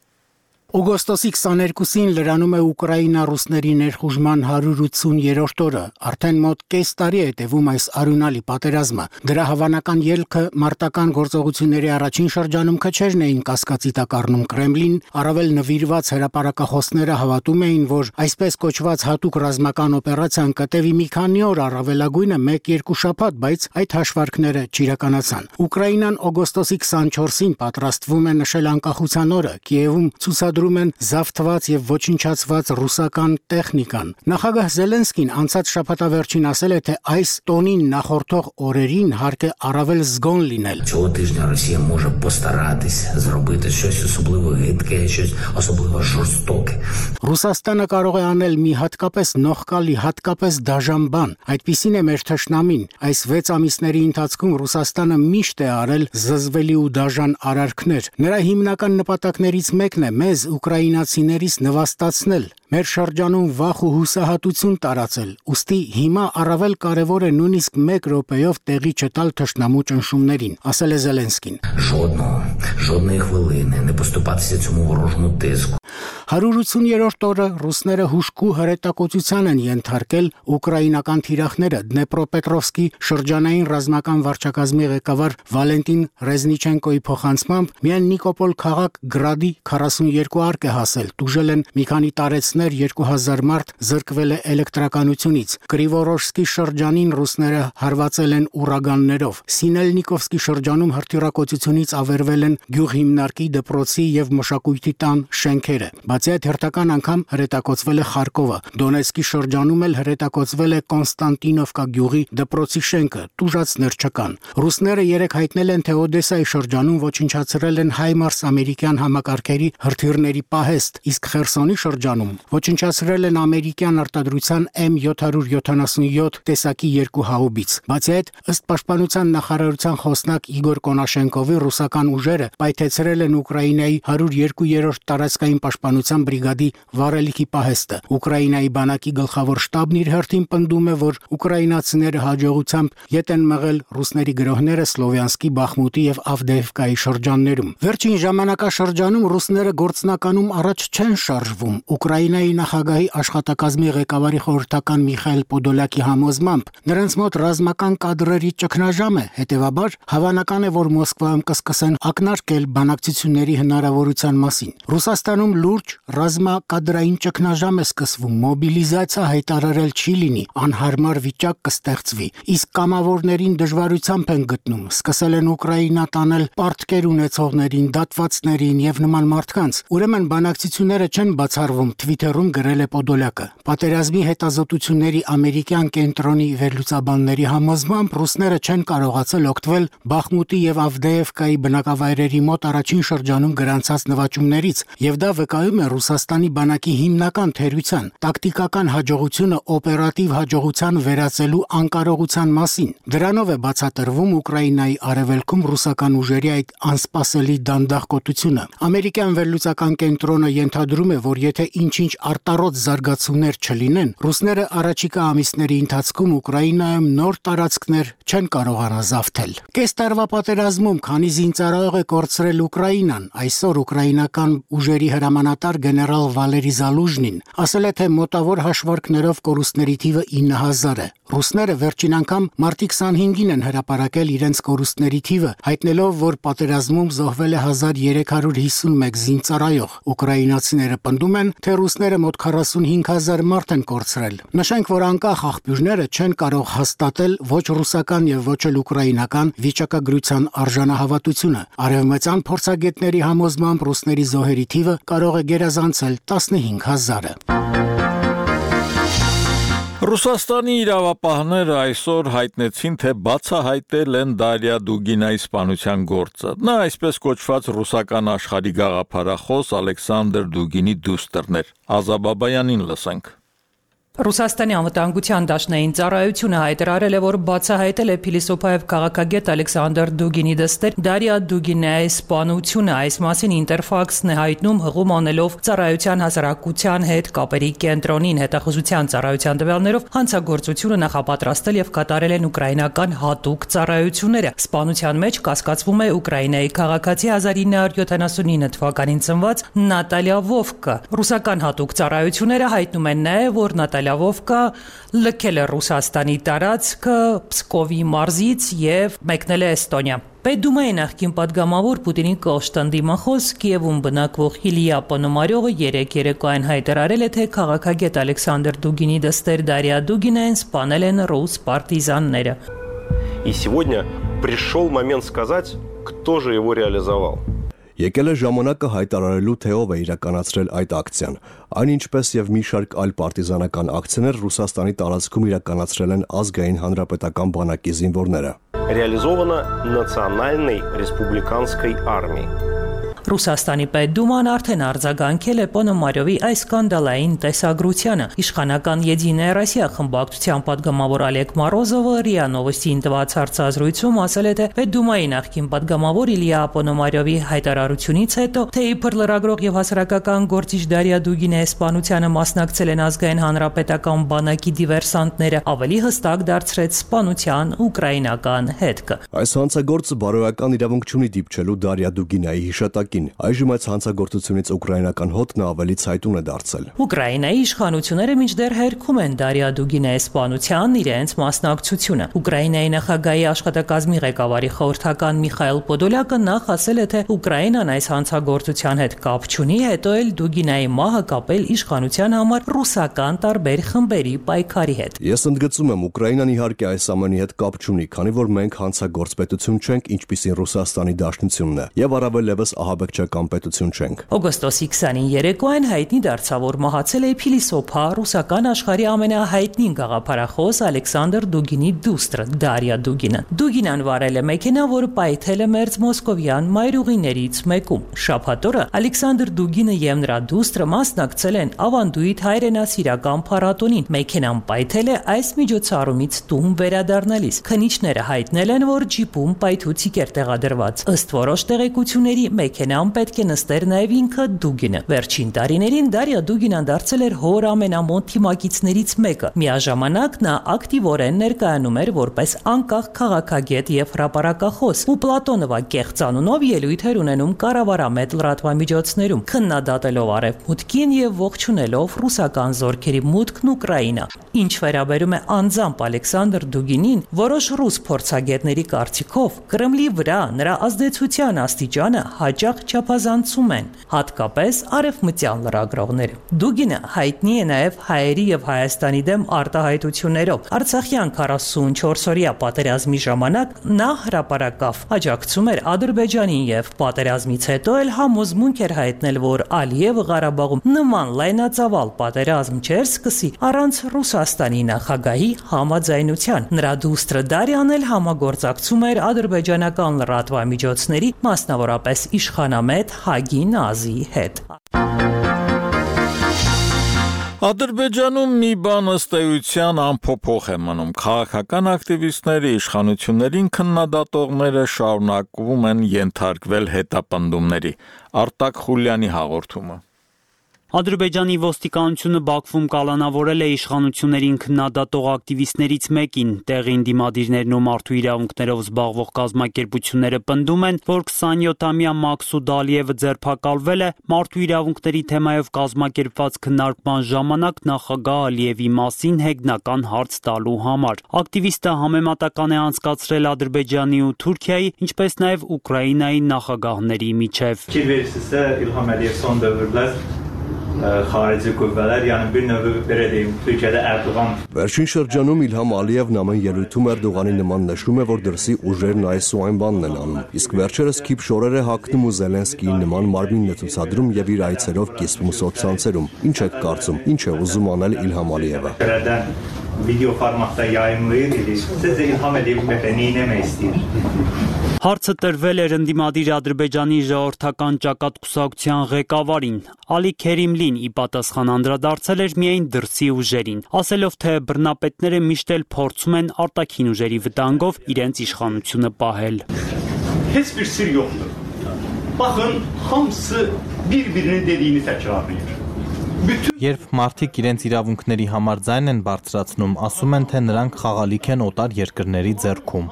Օգոստոսի քսաներկուսին լրանում է Ուկրաինա-ռուսների ներխուժման հարյուր ութսուներորդ օրը, արդեն մոտ կես տարի է տևում այս արյունալի պատերազմը։ Դրա հավանական ելքը մարտական գործողությունների առաջին շրջանում քչերն էին կասկածի տակ առնում Կրեմլին, առավել նվիրված հրապարակախոսները հավատում էին, որ այսպես կոչված հատուկ ռազմական օպերացիան կտևի մի քանի օր, առավելագույնը մեկ-երկու շաբաթ, բայց այդ հաշվարկները չիրականացան։ Ուկրաինան օգոստոսի քսանչորսին պատրաստվում է նշել անկախության օրը, Կիևում ցուցադրում ցուցադրում են զավթված եւ ոչնչացված ռուսական տեխնիկան։ Նախագահ Զելենսկին անցած շաբաթավերջին ասել է, թե այս տոնին նախորդող օրերին հարկ է առավել զգոն լինել։ Цього тижня Росія може постаратись зробити щось особливо гидке, щось особливо жорстоке. Ռուսաստանը կարող է անել մի հատկապես նողկալի, հատկապես դաժան բան։ Այդպիսին է մեր թշնամին։ Այս վեց ամիսների ընթացքում Ռուսաստանը միշտ է արել զզվելի ու դաժան արարքներ։ Նրա հիմնական նպատակներից մեկն է մեզ ուկրաինացիներից նվաստացնել, մեր շրջանում վախ ու հուսահատություն տարածել։ Ուստի հիմա առավել կարևոր է նույնիսկ մեկ րոպեով տեղի չտալ թշնամու ճնշումներին, ասել է Զելենսկին։ Жодного, жодної хвилини не поступатися цьому ворожому тиску. one hundred eighty-երորդ օրը ռուսները հուշկու հրետակոծության են ենթարկել ուկրաինական թիրախները Դնեպրոպետրովսկի շրջանային ռազմական վարչակազմի ղեկավար Վալենտին Ռեզնիչենկոյի փոխանցմամբ միայն Նիկոպոլ քաղաք Գրադի forty-two արկ է հասել, տուժել են մի քանի տարեցներ, two thousand մարդ զրկվել է էլեկտրականությունից։ Կրիվորոշսկի շրջանին ռուսները հարվածել են ուրագաններով։ Սինելնիկովսկի շրջանում հրթիռակոծությունից ավերվել են գյուղհիմնարկի դպրոցի եւ մշակույթի տան շենքերը։ Բացի այդ հերթական անգամ հրետակոծվել է Խարկովը։ Դոնեցկի շրջանում էլ հրետակոծվել է Կոնստանտինովկա գյուղի դպրոցի շենքը, տուժածներ չկան։ Ռուսները երեք հայտնել են, թե Օդեսայի շրջանում ոչնչացրել են հայմարս ամերիկյան համակարգերի հրթիռների պահեստ, իսկ Խերսոնի շրջանում ոչնչացրել են ամերիկյան արտադրության M seven seventy-seven տեսակի երկու հաուբից։ Բացի այդ, ըստ պաշտպանության նախարարության խոսնակ Իգոր Կոնաշենկովի ռուսական ուժերը պայթեցրել են Ուկրաինայի one hundred two-րդ տարածքային պաշտպանության բրիգադի վառելիքի պահեստը։ Ուկրաինայի բանակի գլխավոր շտաբն իր հերթին պնդում է, որ ուկրաինացիները հաջողությամբ ետ են մղել ռուսների գրոհները Սլովյանսկի, Բախմուտի եւ Ավդեևկայի շրջաններում։ Վերջին ժամանակաշրջանում ռուսները գործնականում առաջ չեն շարժվում։ Ուկրաինայի նախագահի աշխատակազմի ղեկավարի խորհրդական Միխայել Պոդոլյակի համոզմամբ նրանց մոտ ռազմական կադրերի ճգնաժամ է, հետևաբար հավանական է, որ Մոսկվայում կսկսեն ակնարկել բանակցությունների հնարավորության մասին։ Ռուսաստանում լուրջ ռազմակադրային ճգնաժամ է սկսվում, մոբիլիզացիա հայտարարել չի լինի, անհարմար վիճակ կստեղծվի, իսկ կամավորներին դժվարությամբ են գտնում, սկսել են Ուկրաինա տանել պարտքեր ունեցողներին, դատվածներին եւ նման մարդկանց։ Ուրեմն բանակցությունները չեն բացառվում, Twitter-ում գրել է Պոդոլյակը։ Պատերազմի հետազոտությունների ամերիկյան կենտրոնի վերլուծաբանների համոզմամբ ռուսները չեն կարողացել օգտվել Բախմուտի եւ Ավդեևկայի բնակավայրերի մոտ առաջին շրջանում գրանցած նվաճումներից, եւ դա վկայում է Ռուսաստանի բանակի հիմնական թերության, տակտիկական հաջողությունը օպերատիվ հաջողության վերածելու անկարողության մասին։ Դրանով է բացատրվում Ուկրաինայի արևելքում ռուսական ուժերի այդ անսպասելի դանդաղկոտությունը։ Ամերիկյան վերլուծական կենտրոնը ենթադրում է, որ եթե ինչ-ինչ արտառոց զարգացումներ չլինեն, ռուսները առաջիկա ամիսների ընթացքում Ուկրաինայում նոր տարածքներ չեն կարողանա զավթել։ Կես տարվա պատերազմում քանի զինծառայող է կորցրել Ուկրաինան, այսօր ուկրաինական ուժերի հրամանատար գեներալ Վալերի Զալուժնին ասել է, թե մոտավոր հաշվարկներով կորուստների թիվը nine thousand է։ Ռուսները վերջին անգամ մարտի twenty-five-ին են հրապարակել իրենց կորուստների թիվը, հայտնելով, որ պատերազմում զոհվել է one thousand three hundred fifty-one զինծառայող։ Ուկրաինացիները պնդում են, թե ռուսները մոտ forty-five thousand մարդ են կորցրել։ Նշենք, որ անկախ աղբյուրները չեն կարող հաստատել ոչ ռուսական եւ ոչ էլ ուկրաինական վիճակագրության արժանահավատությունը։ Արևմտյան փորձագետների համոզմամբ ռուսների զոհերի թիվը կարող է գերազանցել fifteen thousand-ը։ Ռուսաստանի իրավապահները այսօր հայտնեցին, թե բացահայտել են Դարիա Դուգինայի սպանության գործը։ Նա այսպես կոչված ռուսական աշխարհի գաղափարախոս Ալեքսանդր Դուգինի դուստրն էր։ Ազաբաբայանին լսենք։ Ռուսաստանի անվտանգության դաշնային ծառայությունը հայտարարել է, որ բացահայտել է փիլիսոփայով քաղաքագետ Ալեքսանդր Դուգինի դստեր Դարիա Դուգինայի սպանությունը։ Այս մասին Ինտերֆաքսն է հայտնում, հղում անելով ծառայության հասարակության հետ կապերի կենտրոնին։ Հետախուզության ծառայության տվյալներով հանցագործությունը նախապատրաստել եւ կատարել են ուկրաինական հատուկ ծառայությունները։ Սպանության մեջ կասկածվում է Ուկրաինայի քաղաքացի nineteen seventy-nine թվականին ծնված Նատալիա Վովկը։ Ռուսական հատուկ ծառայությունները հայտնում են նաեւ, որ Նատալիա Վովկա լքել է Ռուսաստանի տարածքը Պսկովի մարզից եւ մեկնել է Էստոնիա։ Պետդումայի նախկին падգամավոր Պուտինի կոշտան դիմախոս Կիևում բնակվող Իլիա Պոնոմարյովը երեք երեկոյան հայտարարել է, թե քաղաքագետ Ալեքսանդր Դուգինի դստեր Դարիա Դուգինային սպանել են ռուս պարտիզանները։ И сегодня пришел момент сказать, кто же его реализовал. Եկել է ժամանակը հայտարարելու, թե ով է իրականացրել այդ ակցիան։ Այն ինչպես եւ մի շարք այլ պարտիզանական ակցիաներ Ռուսաստանի տարածքում իրականացրել են ազգային հանրապետական բանակի զինվորները։ Реализовано Национальной республиканской армией. Ռուսաստանի պետդուման արդեն արձագանքել է Պոնոմարյովի այս սկանդալային տեսագրությանը։ Իշխանական Եդինայա Ռոսիա խմբակցության падգամավոր Օլեգ Մորոզովը ՌԻԱ Նովոստիին տված հարցազրույցում ասել է, թե պետդումայի նախկին падգամավոր Իլիա Պոնոմարյովի հայտարարությունից հետո, թե իբր լրագրող եւ հասարակական գործիչ Դարիա Դուգինեի սպանությանը մասնակցել են ազգային հանրապետական բանակի դիվերսանտները, ավելի հստակ դարձրեց սպանության ուկրաինական հետքը։ Այս հանցագործը բարոյական իրավունք չունի դիպչելու Դարիա Դուգինեի հիշատակին։ Այժմ այս հանցագործությունից ուկրաինական հոտն ավելի ցայտուն է դարձել։ Ուկրաինայի իշխանությունները մինչդեռ հերքում են Դարիա Դուգինեի սպանության իրենց մասնակցությունը։ Ուկրաինայի նախագահի աշխատակազմի ղեկավարի խորհրդական Միխայել Պոդոլյակը նախ ասել է, թե Ուկրաինան այս հանցագործության հետ կապ չունի, հետո էլ Դուգինեի մահը կապել իշխանության համար ռուսական տարբեր խմբերի պայքարի հետ։ Ես ընդգծում եմ, Ուկրաինան իհարկե այս ամենի հետ կապ չունի, քանի որ մենք հանցագործ պետություն չենք, ինչպիսին Ռուսաստանի Դաշնությունն է, եւ առավել եւս ահաբեկչական պետություն չենք։ Օգոստոսի քսանին երեկոյան հայտնի դարձավ, որ մահացել է փիլիսոփա ռուսական աշխարհի ամենահայտնի գաղափարախոս Ալեքսանդր Դուգինի դուստրը Դարիա Դուգինը։ Դուգինան վարել է մեքենա, որը պայթել է մերձ մոսկովյան մայրուղիներից մեկում։ Շաբաթ օրը Ալեքսանդր Դուգինը եւ նրա դուստրը մասնակցել են ավանդույթ հայրենասիրական փառատոնին։ Մեքենան պայթել է այս միջոցառումից տուն վերադառնալիս։ Քննիչները հայտնել են, որ ջիպում պայթուցիկ էր տեղադրված։ Ըստ որոշ տեղեկությունների մեքենան պետք է նստեր նաև ինքը Դուգինը։ Վերջին տարիներին Դարիա Դուգինան դարձել էր հոր ամենամոտ թիմակիցներից մեկը։ Միաժամանակ նա ակտիվորեն ներկայանում էր որպես անկախ քաղաքագետ եւ հրապարակախոս ու Պլատոնովա կեղծանունով ելույթ էր ունենում կառավարամետ լրատվամիջոցներում, քննադատելով արևմուտքին եւ ողջունելով ռուսական զորքերի մուտքն Ուկրաինա։ Ինչ վերաբերում է անձամբ Ալեքսանդր Դուգինին, որոշ ռուս փորձագետների կարծիքով Կրեմլի վրա նրա ազդեցության աստիճանը հաճախ չափազանցում են, հատկապես արևմտյան լրագրողները։ Դուգինը հայտնի է նաև հայերի եւ Հայաստանի դեմ արտահայտություններով։ Արցախյան քառասունչորսօրյա պատերազմի ժամանակ նա հրապարակավ, աջակցում էր Ադրբեջանին եւ պատերազմից հետո էլ համոզմունք էր հայտնել, որ Ալիևը Ղարաբաղում նման լայնածավալ պատերազմ չէր սկսի առանց Ռուսաստանի նախագահի համաձայնության։ Նրա դուստրը Դարիան էլ համագործակցում էր ադրբեջանական լրատվամիջոցների, մասնավորապես իշխանամետ Հագի Նազիի հետ։ Ադրբեջանում մի բան ըստ էության անփոփոխ է մնում։ Քաղաքական ակտիվիստների, իշխանություններին քննադատողները շարունակվում են ենթարկվել հետապնդումների։ Արտակ Խուլյանի հաղորդումը։ Ադրբեջանի ոստիկանությունը Բաքվում կալանավորել է իշխանություններին քննադատող ակտիվիստներից մեկին։ Տեղին դիմադիրներն ու մարդու իրավունքներով զբաղվող կազմակերպությունները պնդում են, որ քսանյոթամյա Մաքսուդ Ալիևը ձերբակալվել է մարդու իրավունքների թեմայով կազմակերպված քննարկման ժամանակ նախագահ Ալիևի մասին հեգնական հարց տալու համար։ Ակտիվիստը համեմատական է անցկացրել Ադրբեջանի ու Թուրքիայի, ինչպես նաև Ուկրաինայի նախագահների միջև։ Խարիջի գույվելեր, yəni bir növ belə deyim, Türkiyədə Erdoğan Վերջին շրջանում Իլհամ Ալիևն ամեն ելույթում Էրդողանի նման նշում է, որ դրսի ուժերն այս ու այն բանն են անում։ Իսկ վերջերս քիփ շորեր է հագնում ու Զելենսկիի նման մարմինն է ցուցադրում եւ իր այցերով կիսվում սոցցանցերում։ Ինչ եք կարծում, ինչ է ուզում անել Իլհամ Ալիևը։ Վիդեո ֆորմատda yayımlayır idi. Sizce İlham Aliyev nə etmək istəyir? Հարցը տրվել էր ընդդիմադիր Ադրբեջանի ժողովրդական ճակատ կուսակցության ղեկավարին։ Ալի Քերիմլին ի պատասխան անդրադարձել էր միայն դրսի ուժերին, ասելով, թե բռնապետները միշտ էլ փորձում են արտաքին ուժերի վտանգով իրենց իշխանությունը պահել։ Heç bir sir yoxdur. Baxın, hamısı bir-birinin dediyini təkrarlayır. Երբ մարդիկ իրենց իրավունքների համար ձայն են բարձրացնում, ասում են, թե նրանք խաղալիք են օտար երկրների ձեռքում։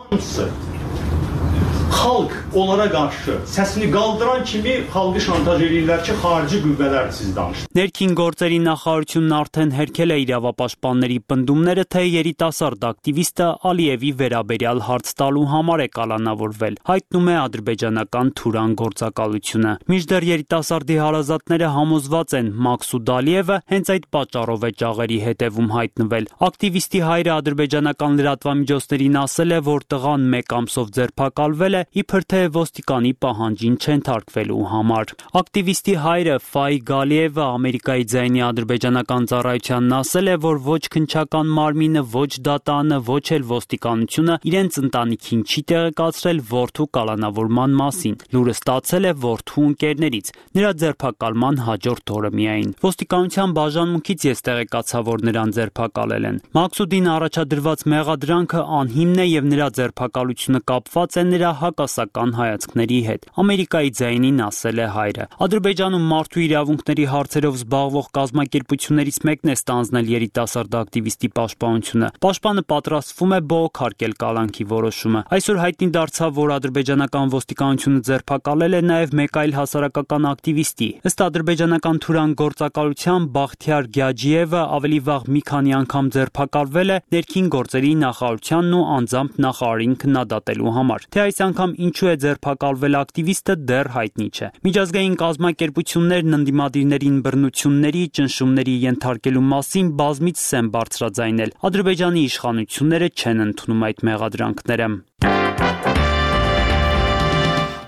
Xalq onlara qarşı səsini qaldıran kimi xalqı şantaj edirlər ki, xarici qüvvələr siz danışın։ Ներքին գործերի նախարարությունն արդեն հերքել է իրավապաշտպանների պնդումները, թե երիտասարդ ակտիվիստը Ալիևի վերաբերյալ հարց տալու համար է կալանավորվել, հայտնում է ադրբեջանական Թուրան գործակալությունը։ Մինչդեռ երիտասարդի հարազատները համոզված են, Մաքսուդ Ալիևը հենց այդ պատճառով է ճաղերի հետևում հայտնվել։ Ակտիվիստի հայրը ադրբեջանական լրատվամիջոցներին ասել է, որ տղան մեկ ամսով ձերբակալվել է է, իբր թե ոստիկանի պահանջին չենթարկվելու համար։ Ակտիվիստի հայրը Ֆայ Գալիևը Ամերիկայի ձայնի ադրբեջանական ծառայությանն ասել է, որ ոչ քննչական մարմինը, ոչ դատանը, ոչ էլ ոստիկանությունը իրենց ընտանիքին չի տեղեկացրել որդու կալանավորման մասին։ Լուրը ստացել է որդու ընկերներից, նրա ձերբակալման հաջորդ օրը միայն։ Ոստիկանության բաժանմունքից ես տեղեկացա, որ նրան ձերբակալել են։ Մաքսուդին առաջադրված մեղադրանքը անհիմն է եւ նրա ձերբակալությունը կապված է նրա հակասական հայացքների հետ։ Ամերիկայի ձայնին ասել է հայրը։ Ադրբեջանում մարդու իրավունքների հարցերով զբաղվող կազմակերպություններից մեկն է ստանձնել երիտասարդ ակտիվիստի պաշտպանությունը։ Պաշտպանը պատրաստվում է բողոքարկել կալանքի որոշումը։ Այսօր հայտնի դարձավ, որ ադրբեջանական ոստիկանությունը ձերբակալել է նաև մեկ այլ հասարակական ակտիվիստի։ Ըստ ադրբեջանական թուրան գործակալության Բախթիար Գյաջիևը ավելի վաղ մի քանի անգամ ձերբակալվել է ներքին գործերի նախարարությանն ու անձամբ նախարարին քննադատելու համար։ Թե այս անգամ ինչու է ձերբակալվել ակտիվիստը դեռ հայտնի չէ։ Միջազգային կազմակերպություններն ընդդիմադիրներին բռնությունների, ճնշումների ենթարկելու մասին բազմիցս են բարձրաձայնել։ Ադրբեջանի իշխանությունները չեն ընդունում այդ մեղադրանքները։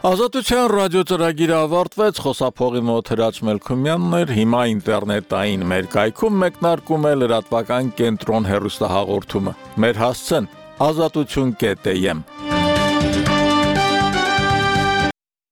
Ազատության ռադիոծրագիրը ավարտվեց, խոսափողի մոտ Հրաչ Մելքումյանն էր, հիմա ինտերնետային մեր կայքում մեկնարկում է լրատվական կենտրոն հեռուստահաղորդումը։ Մեր հասցեն ազատություն կետ եմ։